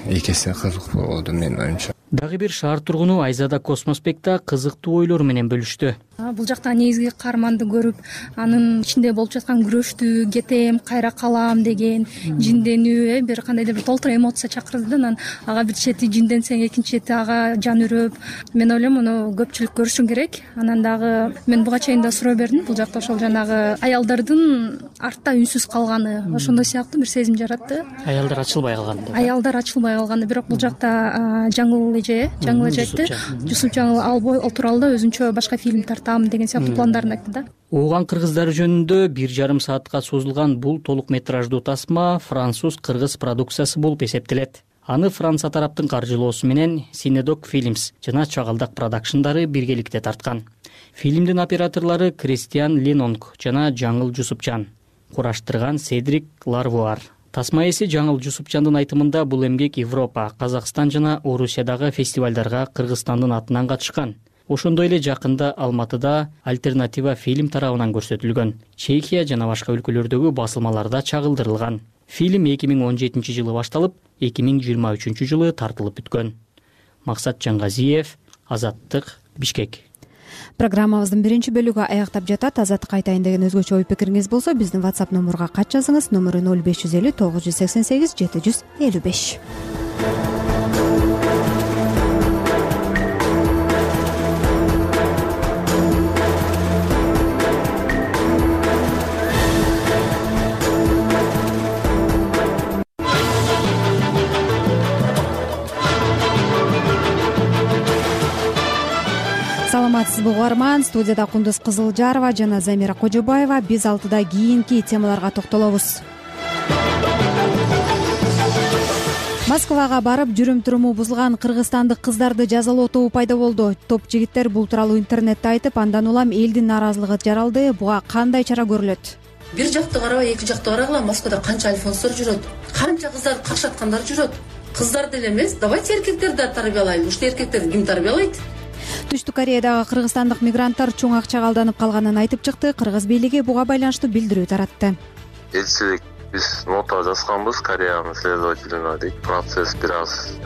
эки эсе кызык болду менин оюмча. Дагы бир шаар тургуну Айзада Космоспекта кызыктуу ойлор менен бөлүштү. Бул жакта негизги каарманды көрүп, анын ичинде болуп жаткан күрөштү, кетем, кайра калам деген жинденүү, бир кандайдыр бир толтура эмоция чакырды да. Анан ага бир чети жинденсең, экинчи чети ага жан үрөп. Мен ойлойм, муну көпчүлүк көрүшү керек. Анан дагы мен буга чейин да суроо бердим. Бул жакта ошол жанагы аялдардын артта үнсүз калганы, ошондой сыяктуу бир сезим жаратты. Аялдар ачылбай калган. Аялдар ачылбай калган. Бирок бул жакта Жаңыл эже, Жаңыл эже айтты. Жусупчан ал тууралуу да өзүнчө башка фильм тартам деген сыяктуу пландарын айтты да. Ооган кыргыздары жөнүндө бир жарым саатка созулган бул толук метраждуу тасма француз-кыргыз продукциясы болуп эсептелет. Аны Франция тараптын каржылоосу менен Синедок Films жана Чагалдак продакшндары биргеликте тарткан. Фильмдин операторлору Кристиан Ленонг жана Жаңыл Жусупчан. Кураштырган Седрик Ларвуар. Тасма ээси Жаңыл Жусупчандын айтымында бул эмгек Европа, Казакстан жана Орусиядагы фестивалдарга Кыргызстандын атынан катышкан. Ошондой эле жакында Алматыда альтернатива фильм тарабынан көрсөтүлгөн. Чехия жана башка өлкөлөрдөгү басылмаларда чагылдырылган. Фильм эки миң он жетинчи жылы башталып, эки миң жыйырма үчүнчү жылы тартылып бүткөн. Максат Жангазиев, Азаттык, Бишкек. Программабыздын биринчи бөлүгү аяктап жатат. Азаттык айтайын деген өзгөчө ой пикириңиз болсо, биздин WhatsApp номурга кат жазыңыз. Номеру ноль беш жүз элүү тогуз жүз сексен сегиз жети жүз элүү беш. Саламатсызбы угарман, студияда Кундуз Кызылжарова жана Замира Кожобаева. Биз алтыда кийинки темаларга токтолобуз. Москвага барып жүрүм-туруму бузулган кыргызстандык кыздарды жазалоо тобу пайда болду. Топ жигиттер бул тууралуу интернетте айтып, андан улам элдин нааразылыгы жаралды. Буга кандай чара көрүлөт? Бир жакты карабай, эки жакты карагыла. Москвада канча альфонстор жүрөт, канча кыздарды какшаткандар жүрөт. Кыздар деле эмес, давайте эркектерди да тарбиялайлы. Ушул эркектерди ким тарбиялайт? Түштүк Кореядагы кыргызстандык мигранттар чоң акчага алданып калганын айтып чыкты. Кыргыз бийлиги буга байланыштуу билдирүү таратты. Элчилик биз нота жазганбыз Кореянын следователине дейт. Процесс бир аз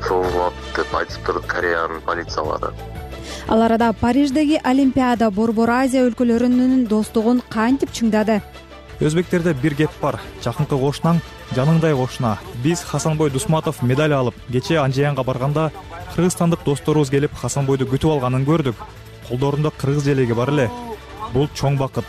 созулат деп айтып турду Кореянын полициялары. Ал арада Париждеги Олимпиада Борбор Азия өлкөлөрүнүн достугун кантип чыңдады? Өзбектерде бир кеп бар. Жакынкы кошунаң жаныңдай кошуна. Биз Хасанбой Дусматов медаль алып, кече Анжаянга барганда кыргызстандык досторубуз келип Хасанбойду күтүп алганын көрдүк. Колдорунда кыргыз желеги бар эле. Бул чоң бакыт.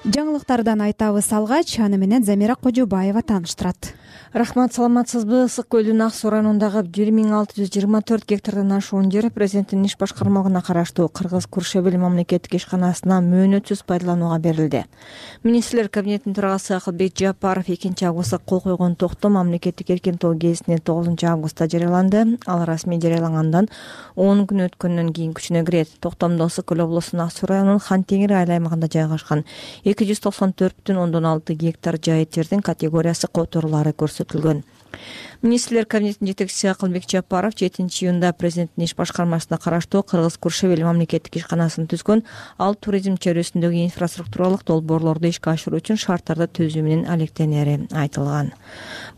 Жаңылыктардан айтабыз алгач, аны менен Замира Кожобаева тааныштырат. Рахмат, саламатсызбы? Ысык көлдүн Ак Суу районундагы бир миң алты жүз жыйырма төрт гектардан ашуун жер президенттин иш башкармалыгына караштуу Кыргыз Куршебел мамлекеттик ишканасына мөөнөтсүз пайдаланууга берилди. Министрлер кабинетинин төрагасы Акылбек Жапаров экинчи августта кол койгон токтом мамлекеттик эркин тоо гезитине тогузунчу августта жарыяланды. Ал расмий жарыялангандан он күн өткөндөн кийин күчүнө кирет. Токтомдо Ысык көл облусунун Ак Суу районунун Хан Теңир айыл аймагында жайгашкан эки жүз токсон төрт бүтүн ондон алты гектар жайыт жердин категориясы которулары көрсөтүлгөн. Министрлер кабинетинин жетекчиси Акылбек Жапаров жетинчи июнда президенттин иш башкармасына караштуу Кыргыз Куршебел мамлекеттик ишканасын түзгөн. Ал туризм чөйрөсүндөгү инфраструктуралык долбоорлорду ишке ашыруу үчүн шарттарды түзүү менен алектенери айтылган.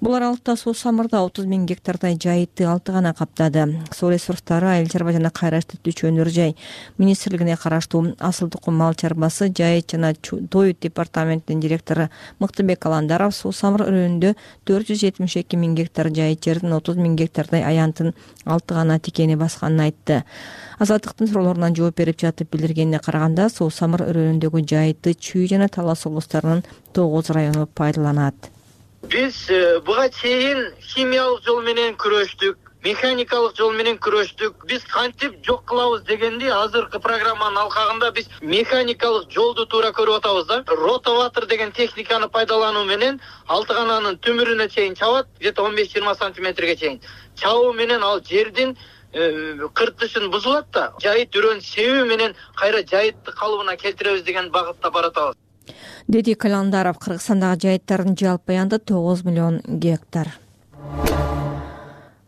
Бул аралыкта Суу Самырда отуз миң гектардай жайытты алты гана каптады. Суу ресурстары, айыл чарба жана кайра иштетүүчү өнөр жай министрлигине караштуу Асыл Тукум мал чарбасы, жайыт жана тоют департаментинин директору Мыктыбек Аландаров Суу Самыр районунда төрт жүз жетимиш эки миң гектар жайыт жердин отуз миң гектардай аянтын алты гана тикени басканын айтты. Азаттыктын суроолоруна жооп берип жатып билдиргенине караганда, Суу Самыр өрөөнүндөгү жайытты Чүй жана Талас облустарынын тогуз району пайдаланат. Биз буга чейин химиялык жол менен күрөштүк, механикалык жол менен күрөштүк. Биз кантип жок кылабыз дегенди азыркы программанын алкагында биз механикалык жолду туура көрүп атабыз да. Ротоватор деген техниканы пайдалануу менен алты гананын түмүрүнө чейин чабат, где-то он беш жыйырма сантиметрге чейин. Чабуу менен ал жердин кыртышын бузулат да, жайыт өрөөнүн себүү менен кайра жайытты калыбына келтиребиз деген багытта баратабыз. Деди Каландаров. Кыргызстандагы жайыттардын жалпы аянты тогуз миллион гектар.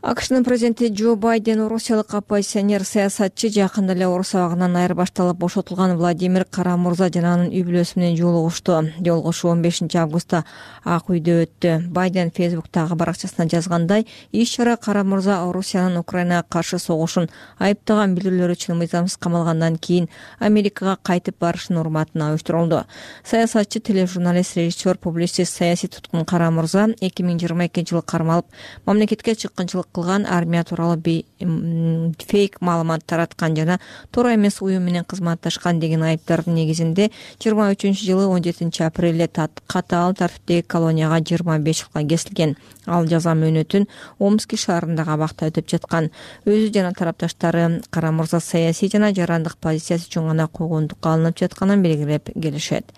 АКШнын президенти Джо Байден орусиялык оппозиционер саясатчы жакында эле орус абагынан айырбашталып бошотулган Владимир Кара-Мурза жана анын үй бүлөсү менен жолугушту. Жолугушуу он бешинчи августта Ак үйдө өттү. Байден Фейсбуктагы баракчасына жазгандай, иш-чара Кара-Мурза Орусиянын Украинага каршы согушун айыптаган билдирүүлөр үчүн мыйзамсыз камалгандан кийин Америкага кайтып барышынын урматына уюштурулду. Саясатчы, тележурналист, режиссер, публицист, саясий туткун Кара-Мурза эки миң жыйырма экинчи жылы кармалып, мамлекетке чыккынчылык кылган, армия тууралуу фейк маалымат тараткан жана туура эмес уюм менен кызматташкан деген айыптардын негизинде жыйырма үчүнчү жылы он жетинчи апрелде катаал тартиптеги колонияга жыйырма беш жылга кесилген. Ал жаза мөөнөтүн Омский шаарындагы абакта өтүп жаткан. Өзү жана тарапташтары Кара-Мурза саясий жана жарандык позициясы үчүн гана куугунтукка алынып жатканын белгилеп келишет.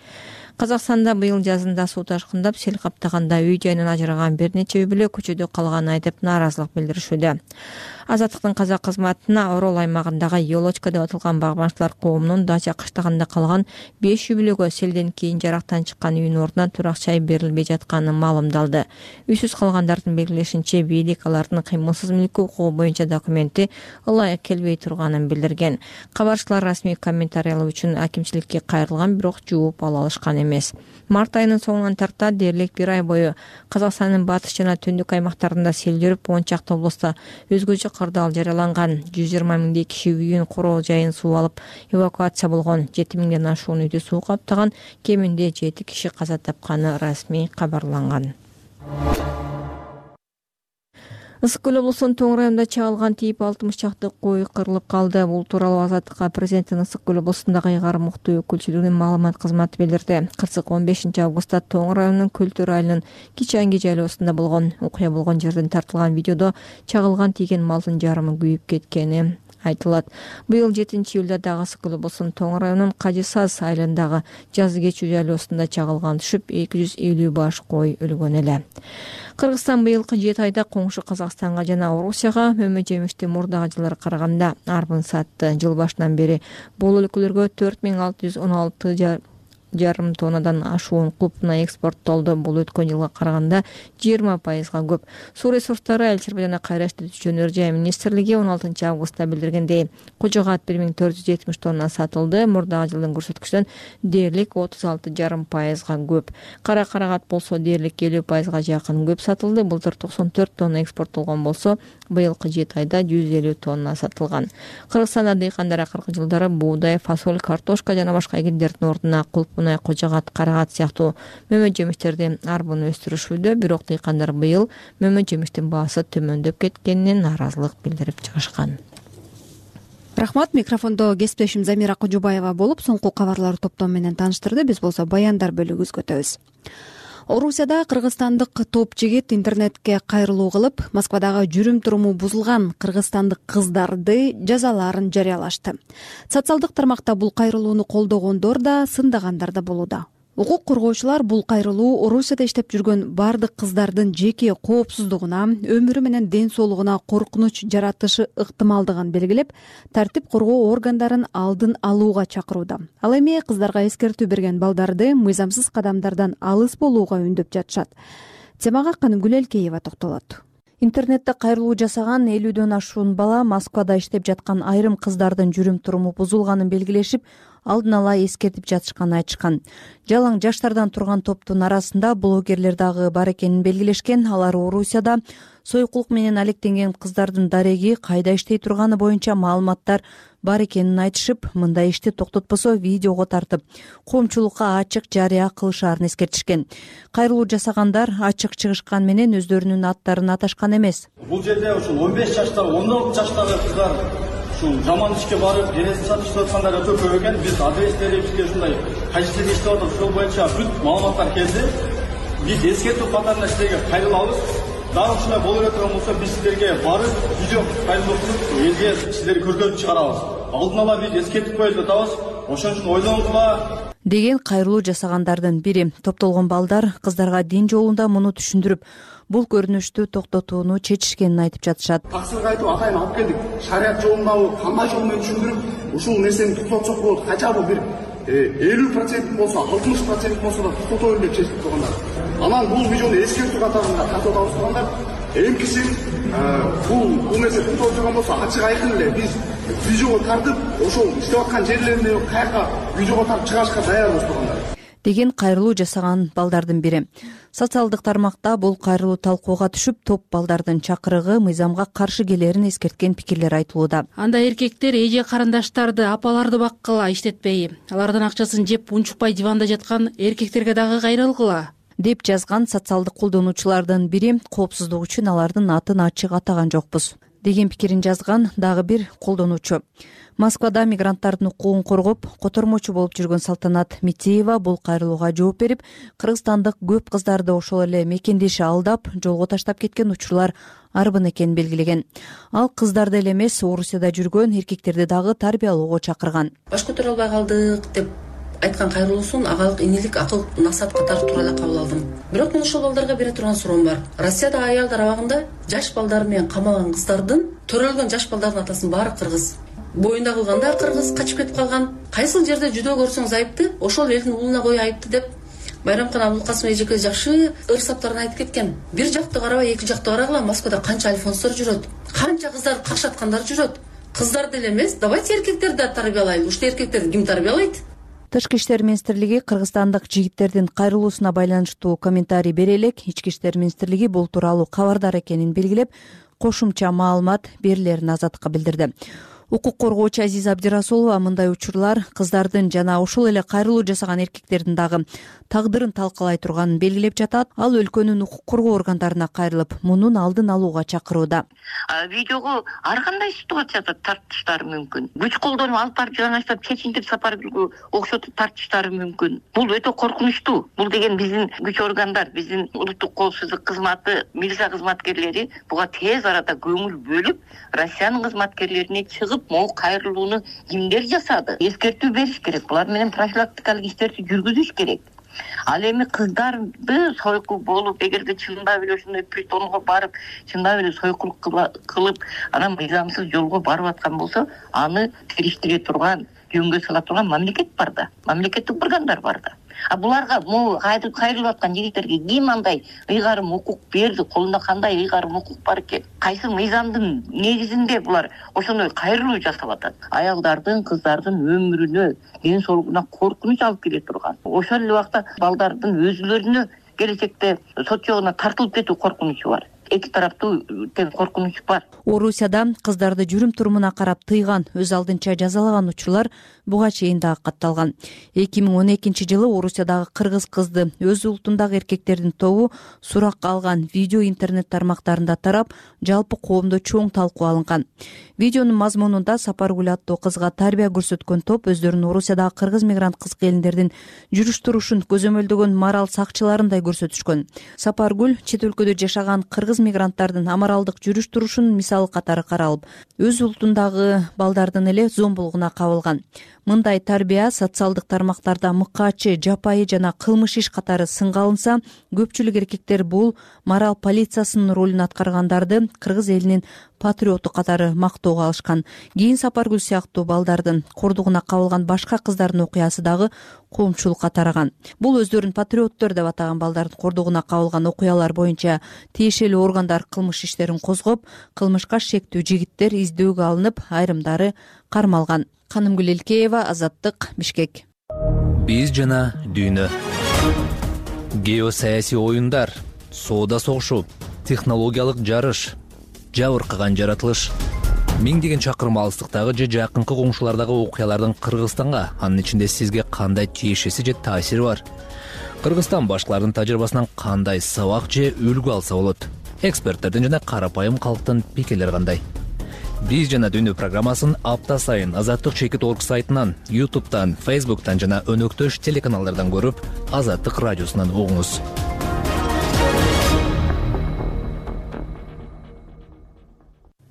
Казакстанда быйыл жазында суу ташкындап, сел каптаганда үй жайынан ажыраган бир нече үй бүлө көчөдө калганын айтып нааразылык билдиришүүдө. Азаттыктын казак кызматына Орол аймагындагы Елочка деп аталган багбанчылар коомунун дача кыштагында калган беш үй бүлөгө селден кийин жарактан чыккан үйүнүн ордуна турак жай берилбей жатканы маалымдалды. Үйсүз калгандардын белгилешинче, бийлик алардын кыймылсыз мүлкү укугу боюнча документи ылайык келбей турганын билдирген. Кабарчылар расмий комментариялоо үчүн акимчиликке кайрылган, бирок жооп ала алышкан эмес. Март айынын соңунан тарта дээрлик бир ай бою Казакстандын батыш жана түндүк аймактарында сел жүрүп, он чакты облустта өзгөчө кырдаал жарыяланган. жүз жыйырма миңдей киши үйүн, короо жайын суу алып эвакуация болгон. жети миңден ашуун үйдү суу каптаган, кеминде жети киши каза тапканы расмий кабарланган. Ысык көл облусунун Тоң районунда чагылган тийип алтымыш чакты кой кырылып калды. Бул тууралуу Азаттыкка президенттин Ысык көл облусундагы ыйгарым уктуу өкүлчүлүгүнүн маалымат кызматы билдирди. Кырсык он бешинчи августта Тоң районунун Көлтөр айылынын Кичанги жайлоосунда болгон. Окуя болгон жерден тартылган видеодо чагылган тийген малдын жарымы күйүп кеткени айтылат. Быйыл жетинчи июлда дагы Ысык көл облусунун Тоң районунун Кажы Саз айылындагы Жазы кечүү жайлоосунда чагылган түшүп эки жүз элүү баш кой өлгөн эле. Кыргызстан быйылкы жети айда коңшу Казакстанга жана Орусияга мөмө жемишти мурдагы жылдары караганда арбын сатты. Жыл башынан бери бул өлкөлөргө төрт миң алты жүз он алты жарым тоннадан ашуун кулпна экспорттолду. Бул өткөн жылга караганда жыйырма пайызга көп. Суу ресурстары, Айыл чарба жана кайра иштетүүчү өнөр жай министрлиги он алтынчы августта билдиргендей, кожогат бир миң төрт жүз жетимиш тонна сатылды. Мурдагы жылдын көрсөткүчүнөн дээрлик отуз алты жарым пайызга көп. Кара карагат болсо дээрлик элүү пайызга жакын көп сатылды. Былтыр токсон төрт тонна экспорттолгон болсо, быйылкы жети айда жүз элүү тонна сатылган. Кыргызстанда дыйкандар акыркы жылдары буудай, фасоль, картошка жана башка эгиндердин ордуна кулпна, кожогат, карагат сыяктуу мөмө жемиштерди арбын өстүрүшүүдө. Бирок дыйкандар быйыл мөмө жемиштин баасы төмөндөп кеткенине нааразылык билдирип чыгышкан. Рахмат. Микрофондо кесиптешим Замира Кожубаева болуп, соңку кабарлар топтому менен тааныштырды. Биз болсо баяндар бөлүгүбүзгө өтөбүз. Орусияда кыргызстандык топ жигит интернетке кайрылуу кылып, Москвадагы жүрүм-туруму бузулган кыргызстандык кыздарды жазалаарын жарыялашты. Социалдык тармакта бул кайрылууну колдогондор да, сындагандар да болууда. Укук коргоочулар бул кайрылуу Орусияда иштеп жүргөн бардык кыздардын жеке коопсуздугуна, өмүрү менен ден соолугуна коркунуч жаратышы ыктымалдыгын белгилеп, тартип коргоо органдарын алдын алууга чакырууда. Ал эми кыздарга эскертүү берген балдарды мыйзамсыз кадамдардан алыс болууга үндөп жатышат. Темага Канымгүл Элкеева токтолот. Интернетте кайрылуу жасаган элүүдөн ашуун бала Москвада иштеп жаткан айрым кыздардын жүрүм-туруму бузулганын белгилешип, алдын ала эскертип жатышканын айтышкан. Жалаң жаштардан турган топтун арасында блогерлер дагы бар экенин белгилешкен. Алар Орусияда сойкулук менен алектенген кыздардын дареги, кайда иштей турганы боюнча маалыматтар бар экенин айтышып, мындай ишти токтотпосо видеого тартып, коомчулукка ачык жарыя кылышаарын эскертишкен. Кайрылуу жасагандар ачык чыгышкан менен өздөрүнүн аттарын аташкан эмес. Бул жерде ушул он беш жаштагы, он алты жаштагы кыздар ушул жаман ишке барып, денесин сатышып аткандар өтө көп экен. Биз адреслери бизге ушундай кайсыл иштеп атат, ошол боюнча бүт маалыматтар келди. Биз эскертүү катарында силерге кайрылабыз. Дагы ушундай боло берген болсо, биз силерге барып, видео кайрылып туруп, элге силерди көргөзүп чыгарабыз. Алдын ала биз эскертип коюп атабыз. Ошон үчүн ойлоңузга деген кайрылуу жасагандардын бири. Топтолгон балдар кыздарга дин жолунда муну түшүндүрүп, бул көрүнүштү токтотууну чечишкенин айтып жатышат. Таксырга айтып атайын алып келдик. Шарият жолундабы, кандай жол менен түшүндүрүп, ушул нерсени токтотсок болот. Качабы бир элүү процент болсо, алтымыш процент болсо да токтотоюн деп чечип койгондар. Анан бул видеону эскертүү катарында тартып атабыз тургандар. Эмкиси бул бул нерсе токтолуп жүргөн болсо, ачык айкын эле биз видеого тартып, ошол иштеп аткан жерлерине каяка видеого тартып чыгарышка даярбыз тургандар деген кайрылуу жасаган балдардын бири. Социалдык тармакта бул кайрылуу талкууга түшүп, топ балдардын чакырыгы мыйзамга каршы келерин эскерткен пикирлер айтылууда. Анда эркектер эже карындаштарды, апаларды баккыла, иштетпей, алардын акчасын жеп унчукпай диванда жаткан эркектерге дагы кайрылгыла деп жазган социалдык колдонуучулардын бири. Коопсуздук үчүн алардын атын ачык атаган жокпуз деген пикирин жазган дагы бир колдонуучу. Москвада мигранттардын укугун коргоп, котормочу болуп жүргөн Салтанат Митиева бул кайрылууга жооп берип, кыргызстандык көп кыздарды ошол эле мекендеши алдап, жолго таштап кеткен учурлар арбын экенин белгилеген. Ал кыздарды эле эмес, Орусияда жүргөн эркектерди дагы тарбиялоого чакырган. Баш көтөрө албай калдык деп айткан кайрылуусун агалык инилик акыл насаат катары туура эле кабыл алдым. Бирок мен ошол балдарга бере турган суроом бар. Россиядагы аялдар абагында жаш балдар менен камалган кыздардын, төрөлгөн жаш балдардын атасынын баары кыргыз. Боюнда кылгандар кыргыз, качып кетип калган. Кайсыл жерде жүдөө көрсөңүз айыпты, ошол элдин уулуна кой айыпты деп Байрамкан Абулкасым эжеке жакшы ыр саптарын айтып кеткен. Бир жакты карабай, эки жакты карагыла, Москвада канча альфонстор жүрөт, канча кыздар какшаткандар жүрөт. Кыздар деле эмес, давайте эркектерди да тарбиялайлы. Уште эркектерди ким тарбиялайт? Тышкы иштер министрлиги кыргызстандык жигиттердин кайрылуусуна байланыштуу комментарий бере элек, Ички иштер министрлиги бул тууралуу кабардар экенин белгилеп, кошумча маалымат берилерин Азаттыкка билдирди. Укук коргоочу Азиза Абдирасулова мындай учурлар кыздардын жана ошол эле кайрылуу жасаган эркектердин дагы тагдырын талкалай турганын белгилеп жатат. Ал өлкөнүн укук коргоо органдарына кайрылып, мунун алдын алууга чакырууда. Видеого ар кандай ситуацияда тартыштары мүмкүн. Күч колдонуп алып барып жанаштап чечинтип Сапаргүлгө окшотуп тартыштары мүмкүн. Бул өтө коркунучтуу. Бул деген биздин күч органдар, биздин улуттук коопсуздук кызматы, милиция кызматкерлери буга тез арада көңүл бөлүп, Россиянын кызматкерлерине чыгып могу кайрылууну кимдер жасады? Эскертүү бериш керек. Булар менен профилактикалык иштерди жүргүзүш керек. Ал эми кыздарды сойкул болуп, эгерде чындап эле ошондой притонго барып, чындап эле сойкул кылып, анан мыйзамсыз жолго барып аткан болсо, аны териштире турган, жөнгө сала турган мамлекет бар да, мамлекеттик органдар бар да. А буларга могу кайрылып аткан жигиттерге ким андай ыйгарым укук берди, колунда кандай ыйгарым укук бар экен? Кайсы мыйзамдын негизинде булар ошондой кайрылуу жасап атат? Аялдардын, кыздардын өмүрүнө, ден соолугуна коркунуч алып келе турган. Ошол эле убакта балдардын өзүлөрүнө келечекте сот жогуна тартылып кетүү коркунучу бар. Эки тараптуу тең коркунуч бар. Орусияда кыздарды жүрүм турумуна карап тыйган, өз алдынча жазалаган учурлар буга чейин дагы катталган. эки миң он экинчи жылы Орусиядагы кыргыз кызды өз улутундагы эркектердин тобу суракка алган видео интернет тармактарында тарап, жалпы коомдо чоң талкуу алынган. Видеонун мазмунунда Сапаргүл аттуу кызга тарбия көрсөткөн топ өздөрүн Орусиядагы кыргыз мигрант кыз келиндердин жүрүш турушун көзөмөлдөгөн мораль сакчыларындай көрсөтүшкөн. Сапаргүл чет өлкөдө жашаган кыргыз мигранттардын амаралдык жүрүш турушун мисалы катары каралып, өз улутундагы балдардын эле зомбулугуна кабылган. Мындай тарбия социалдык тармактарда мыкаачы, жапайы жана кылмыш иш катары сынга алынса, көпчүлүк эркектер бул мораль полициясынын ролун аткаргандарды кыргыз элинин патриоту катары мактоого алышкан. Кийин Сапаргүл сыяктуу балдардын кордугуна кабылган башка кыздардын окуясы дагы коомчулукка тараган. Бул өздөрүн патриоттор деп атаган балдардын кордугуна кабылган окуялар боюнча тиешелүү органдар кылмыш иштерин козгоп, кылмышка шектүү жигиттер издөөгө алынып, айрымдары кармалган. Канымгүл Элкеева, Азаттык, Бишкек. Биз жана дүйнө. Геосаясий оюндар, соода согушу, технологиялык жарыш, жабыркаган жаратылыш. Миңдеген чакырым алыстыктагы же жакынкы коңшулардагы окуялардын Кыргызстанга, анын ичинде сизге кандай тиешеси же таасири бар? Кыргызстан башкалардын тажрыйбасынан кандай сабак же үлгү алса болот? Эксперттердин жана карапайым калктын пикирлери кандай? Биз жана дүйнө программасын апта сайын Азаттык чекит точка орг сайтынан, ютубтан, фейсбуктан жана өнөктөш телеканалдардан көрүп, Азаттык радиосунан угуңуз.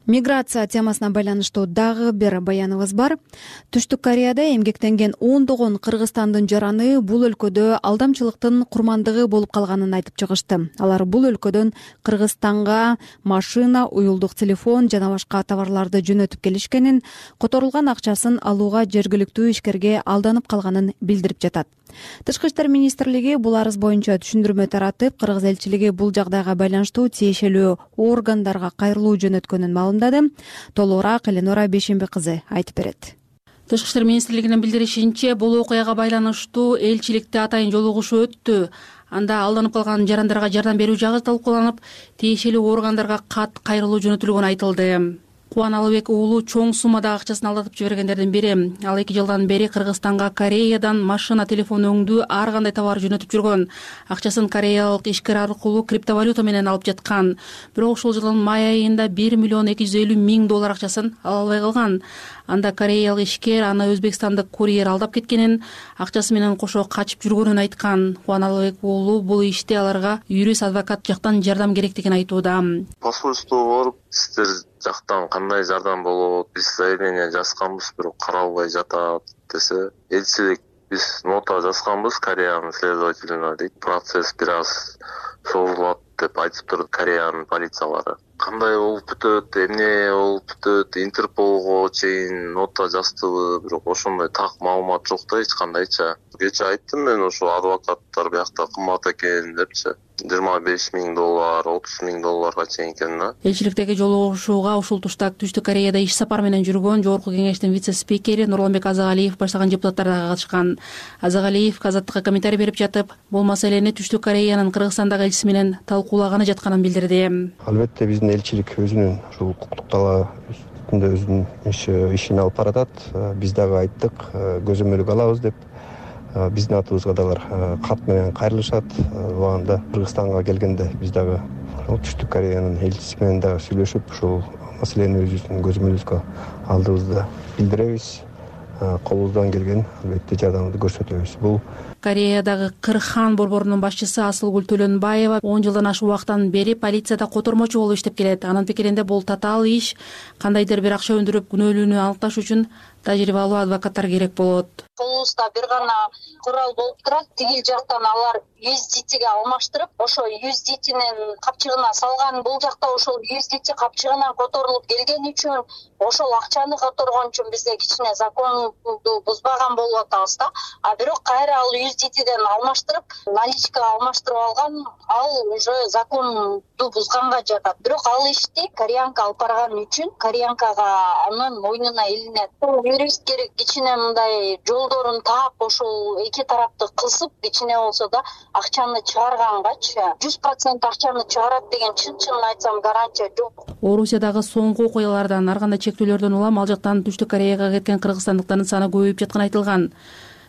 Миграция темасына байланыштуу дагы бир баяныбыз бар. Түштүк Кореяда эмгектенген ондогон кыргызстандын жараны бул өлкөдө алдамчылыктын курмандыгы болуп калганын айтып чыгышты. Алар бул өлкөдөн Кыргызстанга машина, уюлдук телефон жана башка товарларды жөнөтүп келишкенин, которулган акчасын алууга жергиликтүү ишкерге алданып калганын билдирип жатат. Тышкы иштер министрлиги бул арыз боюнча түшүндүрмө таратып, кыргыз элчилиги бул жагдайга байланыштуу тиешелүү органдарга кайрылуу жөнөткөнүн маалымдады. Толугураак Эленора Бейшемби кызы айтып берет. Тышкы иштер министрлигинин билдиришинче, бул окуяга байланыштуу элчиликте атайын жолугушуу өттү. Анда алданып калган жарандарга жардам берүү жагы талкууланып, тиешелүү органдарга кат кайрылуу жөнөтүлгөнү айтылды. Кубан Алыбек уулу чоң суммадагы акчасын алдатып жибергендердин бири. Ал эки жылдан бери Кыргызстанга Кореядан машина, телефон өңдүү ар кандай товар жөнөтүп жүргөн. Акчасын кореялык ишкер аркылуу криптовалюта менен алып жаткан. Бирок ушул жылдын май айында бир миллион эки жүз элүү миң доллар акчасын ала албай калган. Анда кореялык ишкер аны өзбекстандык курьер алдап кеткенин, акчасы менен кошо качып жүргөнүн айткан. Кубан Алыбек уулу бул иште аларга юрист адвокат жактан жардам керектигин айтууда. Посольство барып, сиздер жактан кандай жардам болот, биз заявление жазганбыз, бирок каралбай жатат десе, элчилик биз нота жазганбыз Кореянын следователине дейт. Процесс бир аз созулат деп айтып турду Кореянын полициялары. Кандай болуп бүтөт, эмне болуп бүтөт, Интерполго чейин нота жаздыбы, бирок ошондой так маалымат жок да, эч кандайча. Кечээ айттым мен, ошо адвокаттар биякта кымбат экен депчи. жыйырма беш миң доллар, отуз миң долларга чейин экен да. Элчиликтеги жолугушууга ушул тушта Түштүк Кореяда иш сапар менен жүргөн Жогорку Кеңештин вице-спикери Нурланбек Азагалиев баштаган депутаттар да катышкан. Азагалиев Азаттыкка комментарий берип жатып, бул маселени Түштүк Кореянын Кыргызстандагы элчиси менен талкуулаганы жатканын билдирди. Албетте биздин элчилик өзүнүн ушул укуктук талаа үстүндө өзүнүн ишин алып баратат. Биз дагы айттык, көзөмөлгө алабыз деп. Биздин атыбызга дагы кат менен кайрылышат. Убагында Кыргызстанга келгенде биз дагы Түштүк Кореянын элчиси менен дагы сүйлөшүп, ушул маселени өзүбүздүн көзөмөлүбүзгө алдыбызды билдиребиз. Колубуздан келген албетте жардамды көрсөтөбүз. Бул Кореядагы Кырхан борборунун башчысы Асылгүл Төлөнбаева он жылдан ашык убакыттан бери полицияда котормочу болуп иштеп келет. Анын пикиринде бул татаал иш, кандайдыр бир акча өндүрүп күнөөлүүнү аныкташ үчүн тажрыйбалуу адвокаттар керек болот. Колубузда бир гана курал болуп турат. Тигил жактан алар ю эс ди тиге алмаштырып, ошо ю эс ди тинин капчыгына салган. Бул жакта ошол ю эс ди ти капчыгынан которулуп келген үчүн, ошол акчаны которгон үчүн бизде кичине законду бузбаган болуп атабыз да. А бирок кайра ал ю эс ди тиден алмаштырып, наличкага алмаштырып алган, ал уже законду бузганга жатат. Бирок ал ишти кореянка алып барган үчүн кореянкага анын мойнуна илинет. Юрист керек кичине мындай жолдорун таап, ошол эки тарапты кысып, кичине болсо да акчаны чыгаргангачы жүз процент акчаны чыгарат деген чын-чынын айтсам гарантия жок. Орусиядагы соңку окуялардан, ар кандай чектөөлөрдөн улам ал жактан Түштүк Кореяга кеткен кыргызстандыктардын саны көбөйүп жатканы айтылган.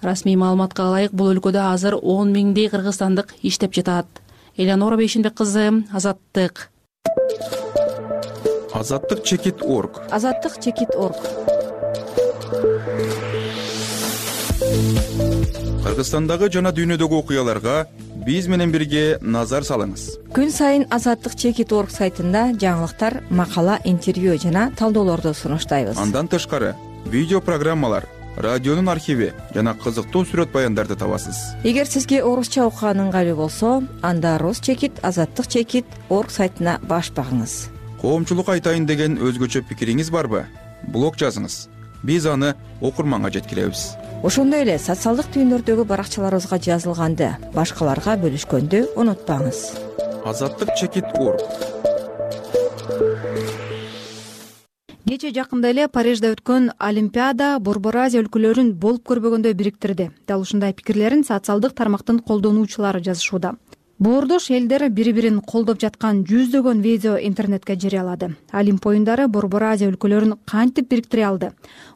Расмий маалыматка ылайык, бул өлкөдө азыр он миңдей кыргызстандык иштеп жатат. Элеонора Бейшенбек кызы, Азаттык. Азаттык чекит орг. Азаттык чекит орг. Кыргызстандагы жана дүйнөдөгү окуяларга биз менен бирге назар салыңыз. Күн сайын Азаттык чекит орг сайтында жаңылыктар, макала, интервью жана талдоолорду сунуштайбыз. Андан тышкары видео программалар, радионун архиви жана кызыктуу сүрөт баяндарды табасыз. Эгер сизге орусча окуган ыңгайлуу болсо, анда Рус чекит, Азаттык чекит орг сайтына баш багыңыз. Коомчулук айтайын деген өзгөчө пикириңиз барбы? Блог жазыңыз. Биз аны окурманга жеткиребиз. Ошондой эле социалдык түйүндөрдөгү баракчаларыбызга жазылганды башкаларга бөлүшкөндү унутпаңыз. Азаттык чекит орг. Кечээ жакында эле Парижде өткөн Олимпиада Борбор Азия өлкөлөрүн болуп көрбөгөндөй бириктирди. Дал ушундай пикирлерин социалдык тармактын колдонуучулары жазышууда. Боордош элдер бири-бирин колдоп жаткан жүздөгөн видео интернетке жарыялады. Олимп оюндары Борбор Азия өлкөлөрүн кантип бириктире алды?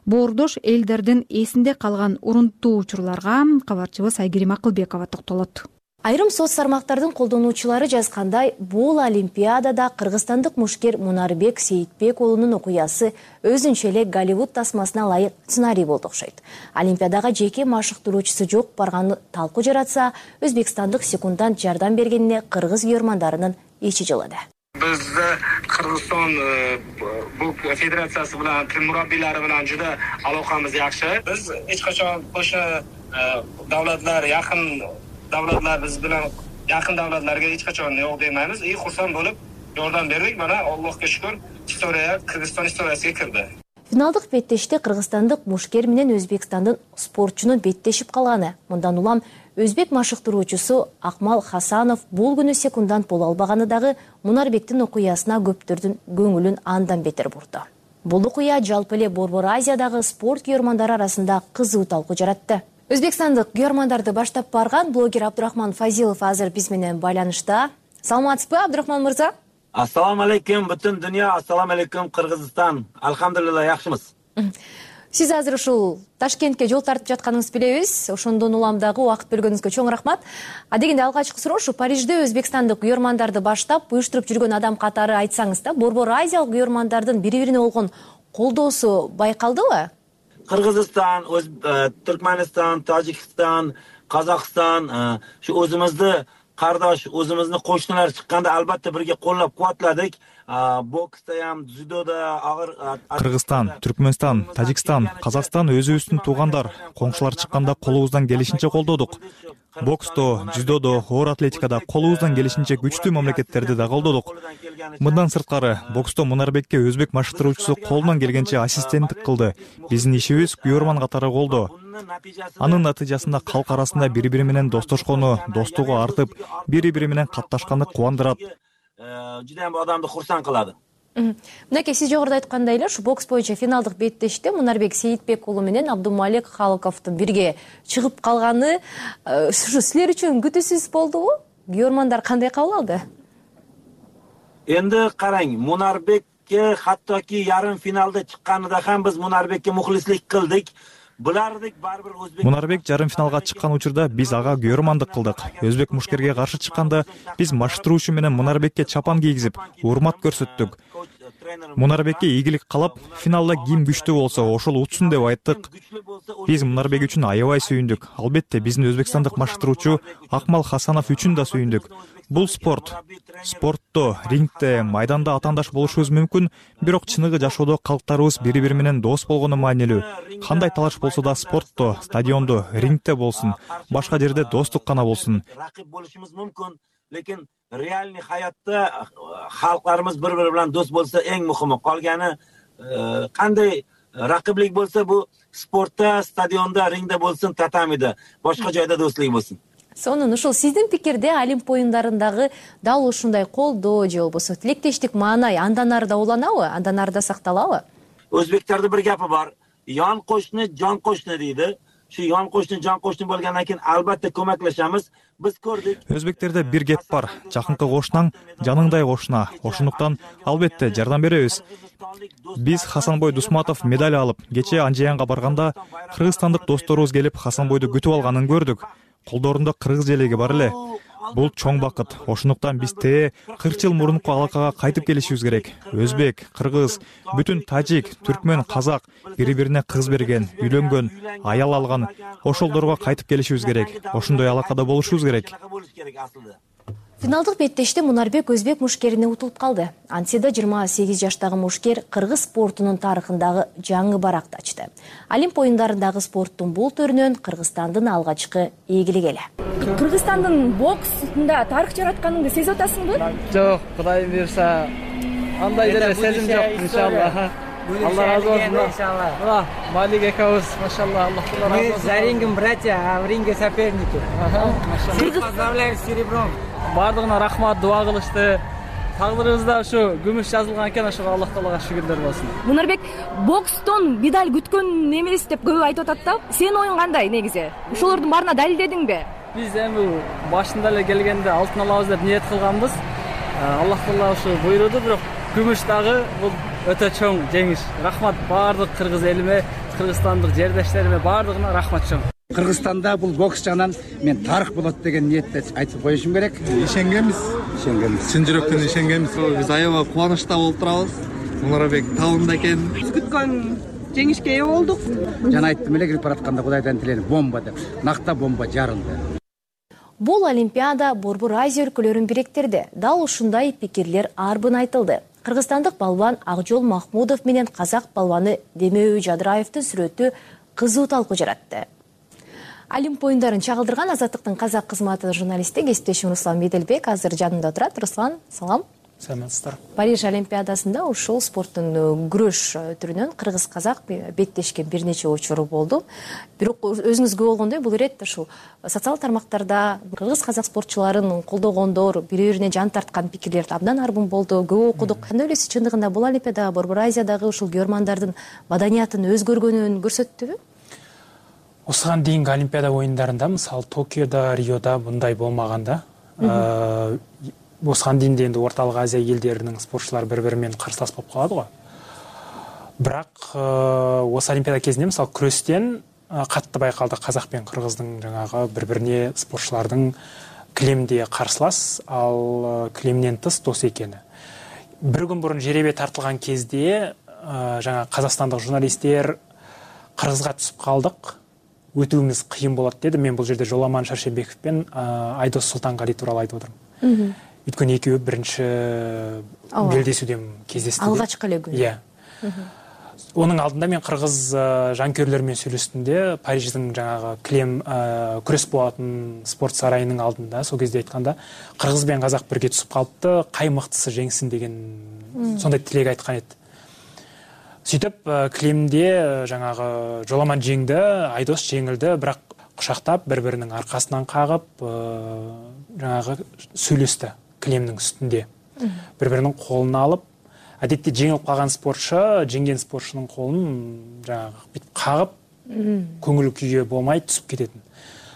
Боордош элдердин эсинде калган урунттуу учурларга кабарчыбыз Айгерим Акылбекова токтолот. Айрым соц тармактардын колдонуучулары жазгандай, бул Олимпиадада кыргызстандык мушкер Мунарбек Сейитбек уулунун окуясы өзүнчө эле Голливуд тасмасына ылайык сценарий болду окшойт. Олимпиадага жеке машыктыруучусу жок барганы талкуу жаратса, өзбекстандык секундант жардам бергенине кыргыз күйөрмандарынын ичи жылады. Бизде Кыргызстан бул федерациясы менен мураббийлери менен жада алакабыз жакшы. Биз эч качан ошо давлатлар якын davlatlar biz bilan yaqin davlatlarga hech qachon yo'q demaymiz. Ey xursand bo'lib yordam berdik. Mana Allohga shukr, istoriya Qirg'iziston istoriyasiga kirdi. Финалдык беттеште кыргызстандык мушкер менен Өзбекстандын спортчунун беттешип калганы. Мындан улам өзбек машыктыруучусу Акмал Хасанов бул күнү секундант боло албаганы дагы Мунарбектин окуясына көптөрдүн көңүлүн андан бетер бурду. Бул окуя жалпы эле Борбор Азиядагы спорт күйөрмандары арасында кызуу талкуу жаратты. Өзбекстандык күйөрмандарды баштап барган блогер Абдурахман Фазилов азыр биз менен байланышта. Саламатсызбы, Абдурахман мырза? Ассаламу алейкум, бүтүн дүйнө, ассаламу алейкум Кыргызстан. Алхамдулилла, жакшымыз. Сиз азыр ушул Ташкентке жол тартып жатканыңызды билебиз. Ошондон улам дагы убакыт бөлгөнүңүзгө чоң рахмат. А дегенде алгачкы суроо ушу Парижде өзбекстандык күйөрмандарды баштап уюштуруп жүргөн адам катары айтсаңыз да, Борбор Азиялык күйөрмандардын бири-бирине болгон колдоосу байкалдыбы? Кыргызстан, Түркмөнстан, Тажикстан, Казакстан, шу өзүмүздү кардош өзүбүздүн кошуналар чыкканда албетте бирге коллоп кубатладык. Бокста ham, дзюдода агыр. Кыргызстан, Түркмөнстан, Тажикстан, Казакстан өзүбүздүн туугандар, коңшулар чыкканда колубуздан келишинче колдодук. Боксто, дзюдодо, оор атлетикада колубуздан келишинче күчтүү мамлекеттерди да колдодук. Мындан сырткары, боксто Мунарбекке өзбек машыктыруучусу колунан келгенче ассистенттик кылды. Биздин ишибиз күйөрман катары колдоо. Анын натыйжасында калк арасында бири-бири менен достошкону, достугу артып, бири-бири менен катташканы кубандырат. Жудайым адамды курсан кылады. Мынакей, сиз жогоруда айткандай эле ушу бокс боюнча финалдык беттеште Мунарбек Сейитбек уулу менен Абдумалик Халыковдун бирге чыгып калганы ушу силер үчүн күтүүсүз болдубу? Күйөрмандар кандай кабыл алды? Энди караң, Мунарбекке хаттоки ярым финалда чыкканында ham биз Мунарбекке мухлислик кылдык. Мунарбек жарым финалга чыккан учурда биз ага күйөрмандык кылдык. Өзбек мушкерге каршы чыкканда биз машыктыруучу менен Мунарбекке чапан кийгизип, урмат көрсөттүк. Мунарбекке ийгилик каалап, финалда ким күчтүү болсо ошол утсун деп айттык. Биз Мунарбек үчүн аябай сүйүндүк. Албетте биздин өзбекстандык машыктыруучу Акмал Хасанов үчүн да сүйүндүк. Бул спорт. Спортто, рингде, майданда атаандаш болушубуз мүмкүн, бирок чыныгы жашоодо калктарыбыз бири-бири менен дос болгону маанилүү. Кандай талаш болсо да спортто, стадиондо, рингде болсун, башка жерде достук гана болсун. Ракып болушубуз мүмкүн, лекин реальный хаятта халкларыбыз бири-бири менен дос болсо эң мухими. Калганы кандай ракыблык болсо бу спортта, стадиондо, рингде болсун, татамиде, башка жайда достук болсун. Сонун ушул сиздин пикирде Олимп оюндардагы дал ушундай колдоо же болбосо тилектештик маанай андан ары да уланабы, андан ары да сакталабы? Өзбектерде бир гапы бар. Ян кошуну, жан кошуну дейди. Şu yan koştun, can koştun bolgandan keyin albatta көмөклөшөбүз. Biz көрдүк. Өзбектерде бир кеп бар. Жакынкы кошунаң жаныңдай кошуна. Ошондуктан албетте жардам беребиз. Биз Хасанбой Дусматов медаль алып, кече Анжеянга барганда кыргызстандык досторубуз келип Хасанбойду күтүп алганын көрдүк. Колдорунда кыргыз желеги бар эле. Бул чоң бакыт. Ошондуктан биз те кырк жыл мурунку алакага кайтып келишибиз керек. Өзбек, кыргыз, бүтүн тажик, түркмөн, казак бири-бирине кыз берген, үйлөнгөн, аял алган. Ошолдорго кайтып келишибиз керек. Ошондой алакада болушубуз керек. Финалдык беттеште Мунарбек өзбек мушкерине утулуп калды. Ансида жыйырма сегиз жаштагы мушкер кыргыз спортунун тарыхындагы жаңы баракты ачты. Олимп оюндарындагы спорттун бул түрүнөн Кыргызстандын алгачкы ийгилиги эле. Кыргызстандын боксунда тарых жаратканыңды сезип атасыңбы? Жок, Кудай буйрса, андай деле сезим жок, иншалла. Алла разы болсун. Иншалла. Малик экөөбүз, машалла, Аллах разы болсун. Мы за рингом братья, а в ринге соперники. Машалла. Поздравляю с серебром. Бардыгына рахмат, дуа кылышты. Тагдырыбызда ушу күмүш жазылган экен, ошого Аллах Таалага шүгүрлөр болсун. Мунарбек, бокстон медаль күткөн эмес деп көп айтып атат да. Сенин оюң кандай негизи? Ошолордун баарына далилдедиңби? Биз эми башында эле келгенде алтын алабыз деп ниет кылганбыз. Аллах Таала ушу буйруду, бирок күмүш дагы бул өтө чоң жеңиш. Рахмат баардык кыргыз элиме, кыргызстандык жердештериме баардыгына рахмат чоң. Кыргызстанда бул бокс жагынан мен тарых болот деген ниетте айтып коюшум керек. Ишенгенбиз. Ишенгенбиз. Чын жүрөктөн ишенгенбиз. Биз аябай кубанычта болуп турабыз. Мунарбек табында экен. Биз күткөн жеңишке ээ болдук. Жана айттым эле кирип баратканда Кудайдан тилейм бомба деп. Накта бомба жарылды. Бул Олимпиада Борбор Азия өлкөлөрүн бириктирди. Дал ушундай пикирлер арбын айтылды. Кыргызстандык балбан Акжол Махмудов менен казак балбаны Демеуи Жадыраевдин сүрөтү кызуу талкуу жаратты. Олимп оюндарын чагылдырган Азаттыктын казак кызматы журналисти кесиптешим Руслан Меделбек азыр жанымда турат. Руслан, салам. Саламатсыздар. Париж Олимпиадасында ушул спорттун күрөш түрүнөн кыргыз-казак беттешкен бир нече учур болду. Бирок өзүңүз көп болгондой бул иретте ушул социал тармактарда кыргыз-казак спортчуларын колдогондор, бири-бирине жан тарткан пикирлер абдан арбын болду, көп окудук. Кандай ойлойсуз, чындыгында бул Олимпиада Борбор Азиядагы ушул күйөрмандардын маданиятын өзгөргөнүн көрсөттүбү? Осыған дейинки Олимпиада оюндарында, мисалы Токиодо, Риодо мындай болмаганда, осыған дейин де Орталык Азия элдеринин спортчулары бири-бири менен карсылас болуп калады го. Бирок осы Олимпиада кезинде мисалы күрөстен катты байкалды казак менен кыргыздын жаңагы бири-бирине спортчулардын килемде карсылас, ал килемден тыс дос экени. Бир күн мурун жеребе тартылган кезде жаңа казакстандык журналисттер кыргызга түсүп калдык өтүүбүз кыйын болот деди. Мен бул жерде Жоламан Шаршенбеков менен Айдос Султангали тууралуу айтып отурмун. Өйткөнү экөө биринчи белдесүүдөн кездешти. Алгачкы эле күн. Иә. Онун алдында мен кыргыз жанкүйерлөр менен сүйлөштүмдө, Париждин жанагы Клем күрөс болатын спорт сарайынын алдында сол кезде айтканда, кыргыз менен казак бирге түсүп калыпты, кай мыктысы жеңсин деген сондай тилек айткан эди. Сүйтүп Клемде жанагы Жоламан жеңди, Айдос жеңилди, бирок кушактап бири-биринин аркасынан кагып, жанагы сүйлөштү Клемдин үстүндө. Бири-биринин колун алып, адетте жеңилип калган спортчу жеңген спортчунун колун жанагы бүт кагып, көңүл күйгө болмай түсүп кететин.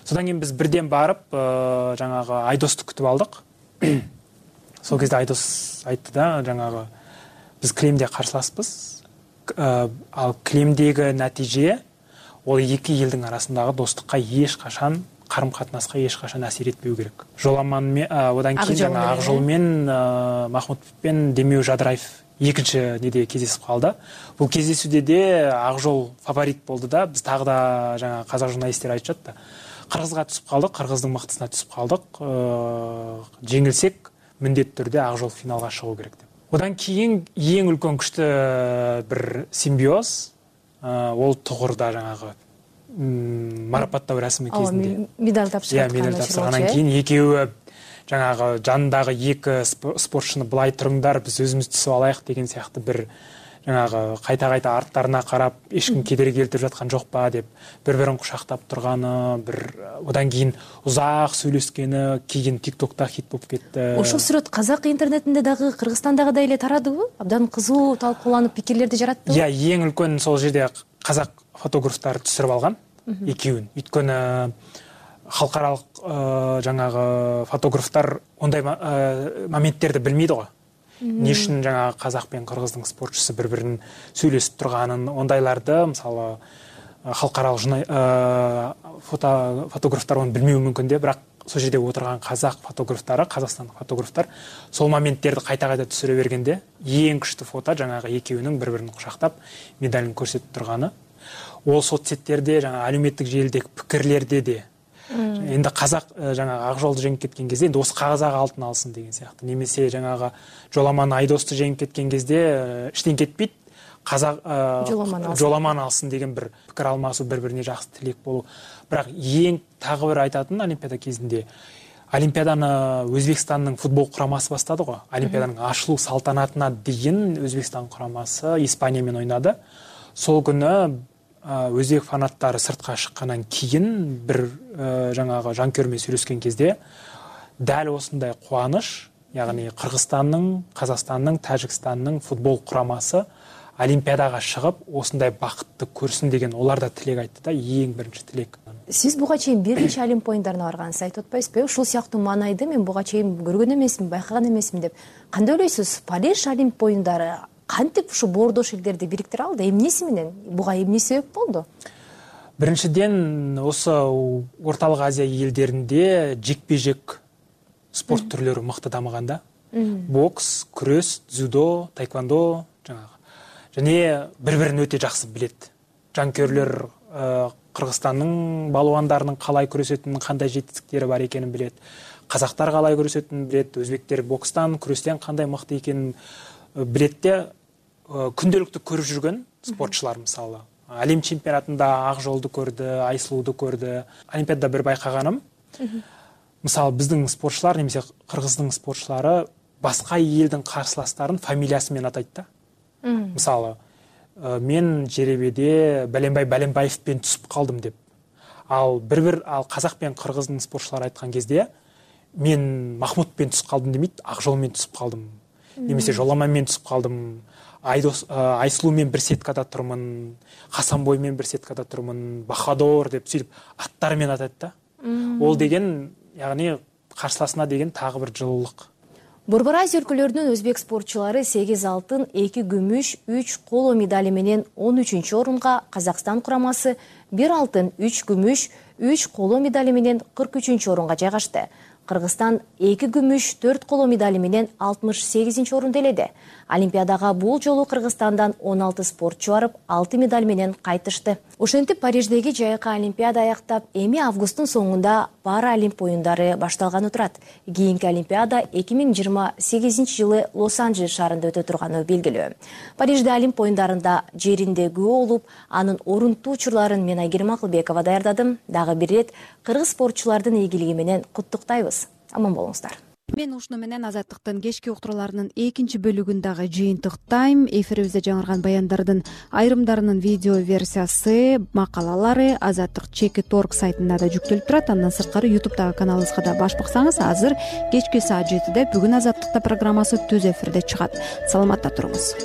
Содан кийин биз бирден барып, жанагы Айдосту күтүп алдык. Сол кезде Айдос айтты да, жанагы биз Клемде каршыласпыз. Ал Клемдеги натыйже ол эки элдин арасындагы достукка эч качан, карым-катнаска эч качан асир этпеу керек. Жоламан одан кийин жана Ак жол менен Махмутов менен Демеу Жадыраев экинчи неде кездесип калды. Бул кездесүүдө де Ак жол фаворит болду да, биз тагы да жана казак журналисттер айтышат да. Кыргызга түсүп калдык, кыргыздын мыктысына түсүп калдык. Жеңилсек, міндетті түрде Ак жол финалга чыгуу керек деп. Одан кийин эң үлкөн күчтүү бир симбиоз, ол Тугурда жанагы марапаттоо расмы кезинде медаль тапшырган. Иә, медаль тапшыргандан кийин экөөбү жанагы жандагы эки спортчуну былай туруңдар, биз өзүбүз түсүп алайык деген сыяктуу бир жанагы кайта-кайта арттарына карап, эчким кедерги келтирип жаткан жок ба деп бири-бирин кушактап турганы, бир одан кийин узак сүйлөшкөнү кийин TikTok'та хит болуп кетти. Ошол сүрөт казак интернетинде дагы, Кыргызстандагыдай эле тарадыбы? Абдан кызуу талкууланып, пикирлерди жараттыбы? Иә, эң үлкөн сол жерде казак фотографтар түшүрүп алган экөөүн. Өйткөнү халкаралык жанагы фотографтар ондай моменттерди билмейди го. Не үчүн жаңағы қазақ пен қырғыздың спортшысы бір-бірін сөйлесіп тұрғанын, ондайларды, мысалы, халықаралық фотографтар оны білмеуі мүмкін де, бірақ сол жерде отырған қазақ фотографтары, қазақстандық фотографтар сол моменттерді қайта-қайта түсіре бергенде, ең күшті фото жаңағы екеуінің бір-бірін құшақтап медалін көрсетіп тұрғаны. Ол соцсеттерде, жаңағы әлеуметтік желідегі пікірлерде де енді қазақ жаңағы Ак жолды жеңіп кеткен кезде енді осы қазақ алтын алсын деген сияқты. Немесе жаңағы Жоламан Айдосты жеңіп кеткен кезде іштен кетпейді, қазақ Жоламан алсын деген бір пікір алмасу, бір-біріне жақсы тілек болу. Бірақ ең тағы бір айтатын Олимпиада кезінде Олимпиаданы Өзбекстанның футбол құрамасы бастады ғой. Олимпиаданың ашылу салтанатына дейін Өзбекстан құрамасы Испаниямен ойнады. Сол күні өзбек фанаттары сыртқа шыққаннан кейін бір жаңағы жанкүйермен сөйлескен кезде дәл осындай қуаныш, яғни Қырғызстанның, Қазақстанның, Тәжікстанның футбол құрамасы Олимпиадаға шығып, осындай бақытты көрсін деген олар да тілек айтты да, ең бірінші тілек. Сіз буга чейин бир нече Олимп оюндарына баргансыз, айтып атпайсызбы? Ушул сыяктуу маанайды мен буга чейин көргөн эмесмин, байкаган эмесмин деп. Кандай ойлойсуз? Париж Олимп оюндары кантип ушу боордош элдерди бириктире алды? Эмнеси менен? Буга эмне себеп болду? Биринчиден, осы Орталык Азия элдеринде жекпе-жек спорт түрлөрү мыкты дамыган да. Бокс, күрөс, дзюдо, таэквондо, жанагы. Және бири-бирин өтө жакшы билет. Жанкүйерлөр Кыргызстандын балуандарынын калай күрөсөтүнүн кандай жетистиктери бар экенин билет. Казактар калай күрөсөтүнүн билет, өзбектер бокстан, күрөстөн кандай мыкты экенин билетте. Күндөлүктү көрүп жүргөн спортчулар мисалы. Әлем чемпионатында Ак жолду көрдү, Айсулууду көрдү. Олимпиадада бир байкаганым. Мисалы биздин спортчулар, немесе Кыргыздын спортчулары башка элдин карсыластарын фамилиясы менен атайт да. Мисалы, мен жеребеде Баленбай Баленбаевпен түсүп калдым деп. Ал бир-бир ал казак пен кыргыздын спортчулары айткан кезде мен Махмутпен түсүп калдым демейт, Ак жолмен түсүп калдым. Немесе Жоламанмен түсүп калдым. Айдос Айсулуумен бир сеткада турмун, Хасанбоймен бир сеткада турмун, Бахадор деп сүйлөп аттары менен атайт да. Ол деген, яғни каршыласына деген тагы бир жылуулук. Борбор Азия өлкөлөрүнүн өзбек спортчулары сегиз алтын, эки күмүш, үч коло медали менен он үчүнчү орунга, Казакстан курамасы бир алтын, үч күмүш, үч коло медали менен кырк үчүнчү орунга жайгашты. Кыргызстан эки күмүш, төрт коло медали менен алтымыш сегизинчи орунду эледи. Олимпиадага бул жолу Кыргызстандан он алты спортчу барып, алты медаль менен кайтышты. Ошентип Париждеги жайкы Олимпиада аяктап, эми августтун соңунда Паралимп оюндары башталганы турат. Кийинки Олимпиада эки миң жыйырма сегизинчи жылы Лос-Анджелес шаарында өтө турганы белгилүү. Парижде Олимп оюндарында жеринде күбө болуп, анын орунтуу учурларын мен Айгерим Акылбекова даярдадым. Дагы бир ирет кыргыз спортчулардын ийгилиги менен куттуктайбыз. Аман болуңуздар. Мен ушуну менен Азаттыктын кечки уктурууларынын экинчи бөлүгүн дагы жыйынтыктайм. Эфирибизде жаңырган баяндардын айрымдарынын видео версиясы, макалалары Азаттык чеки точка орг сайтында да жүктөлүп турат. Андан сырткары ютубтагы каналыбызга да баш баксаңыз, азыр кечки саат жетиде бүгүн Азаттыкта программасы түз эфирде чыгат. Саламатта туруңуз.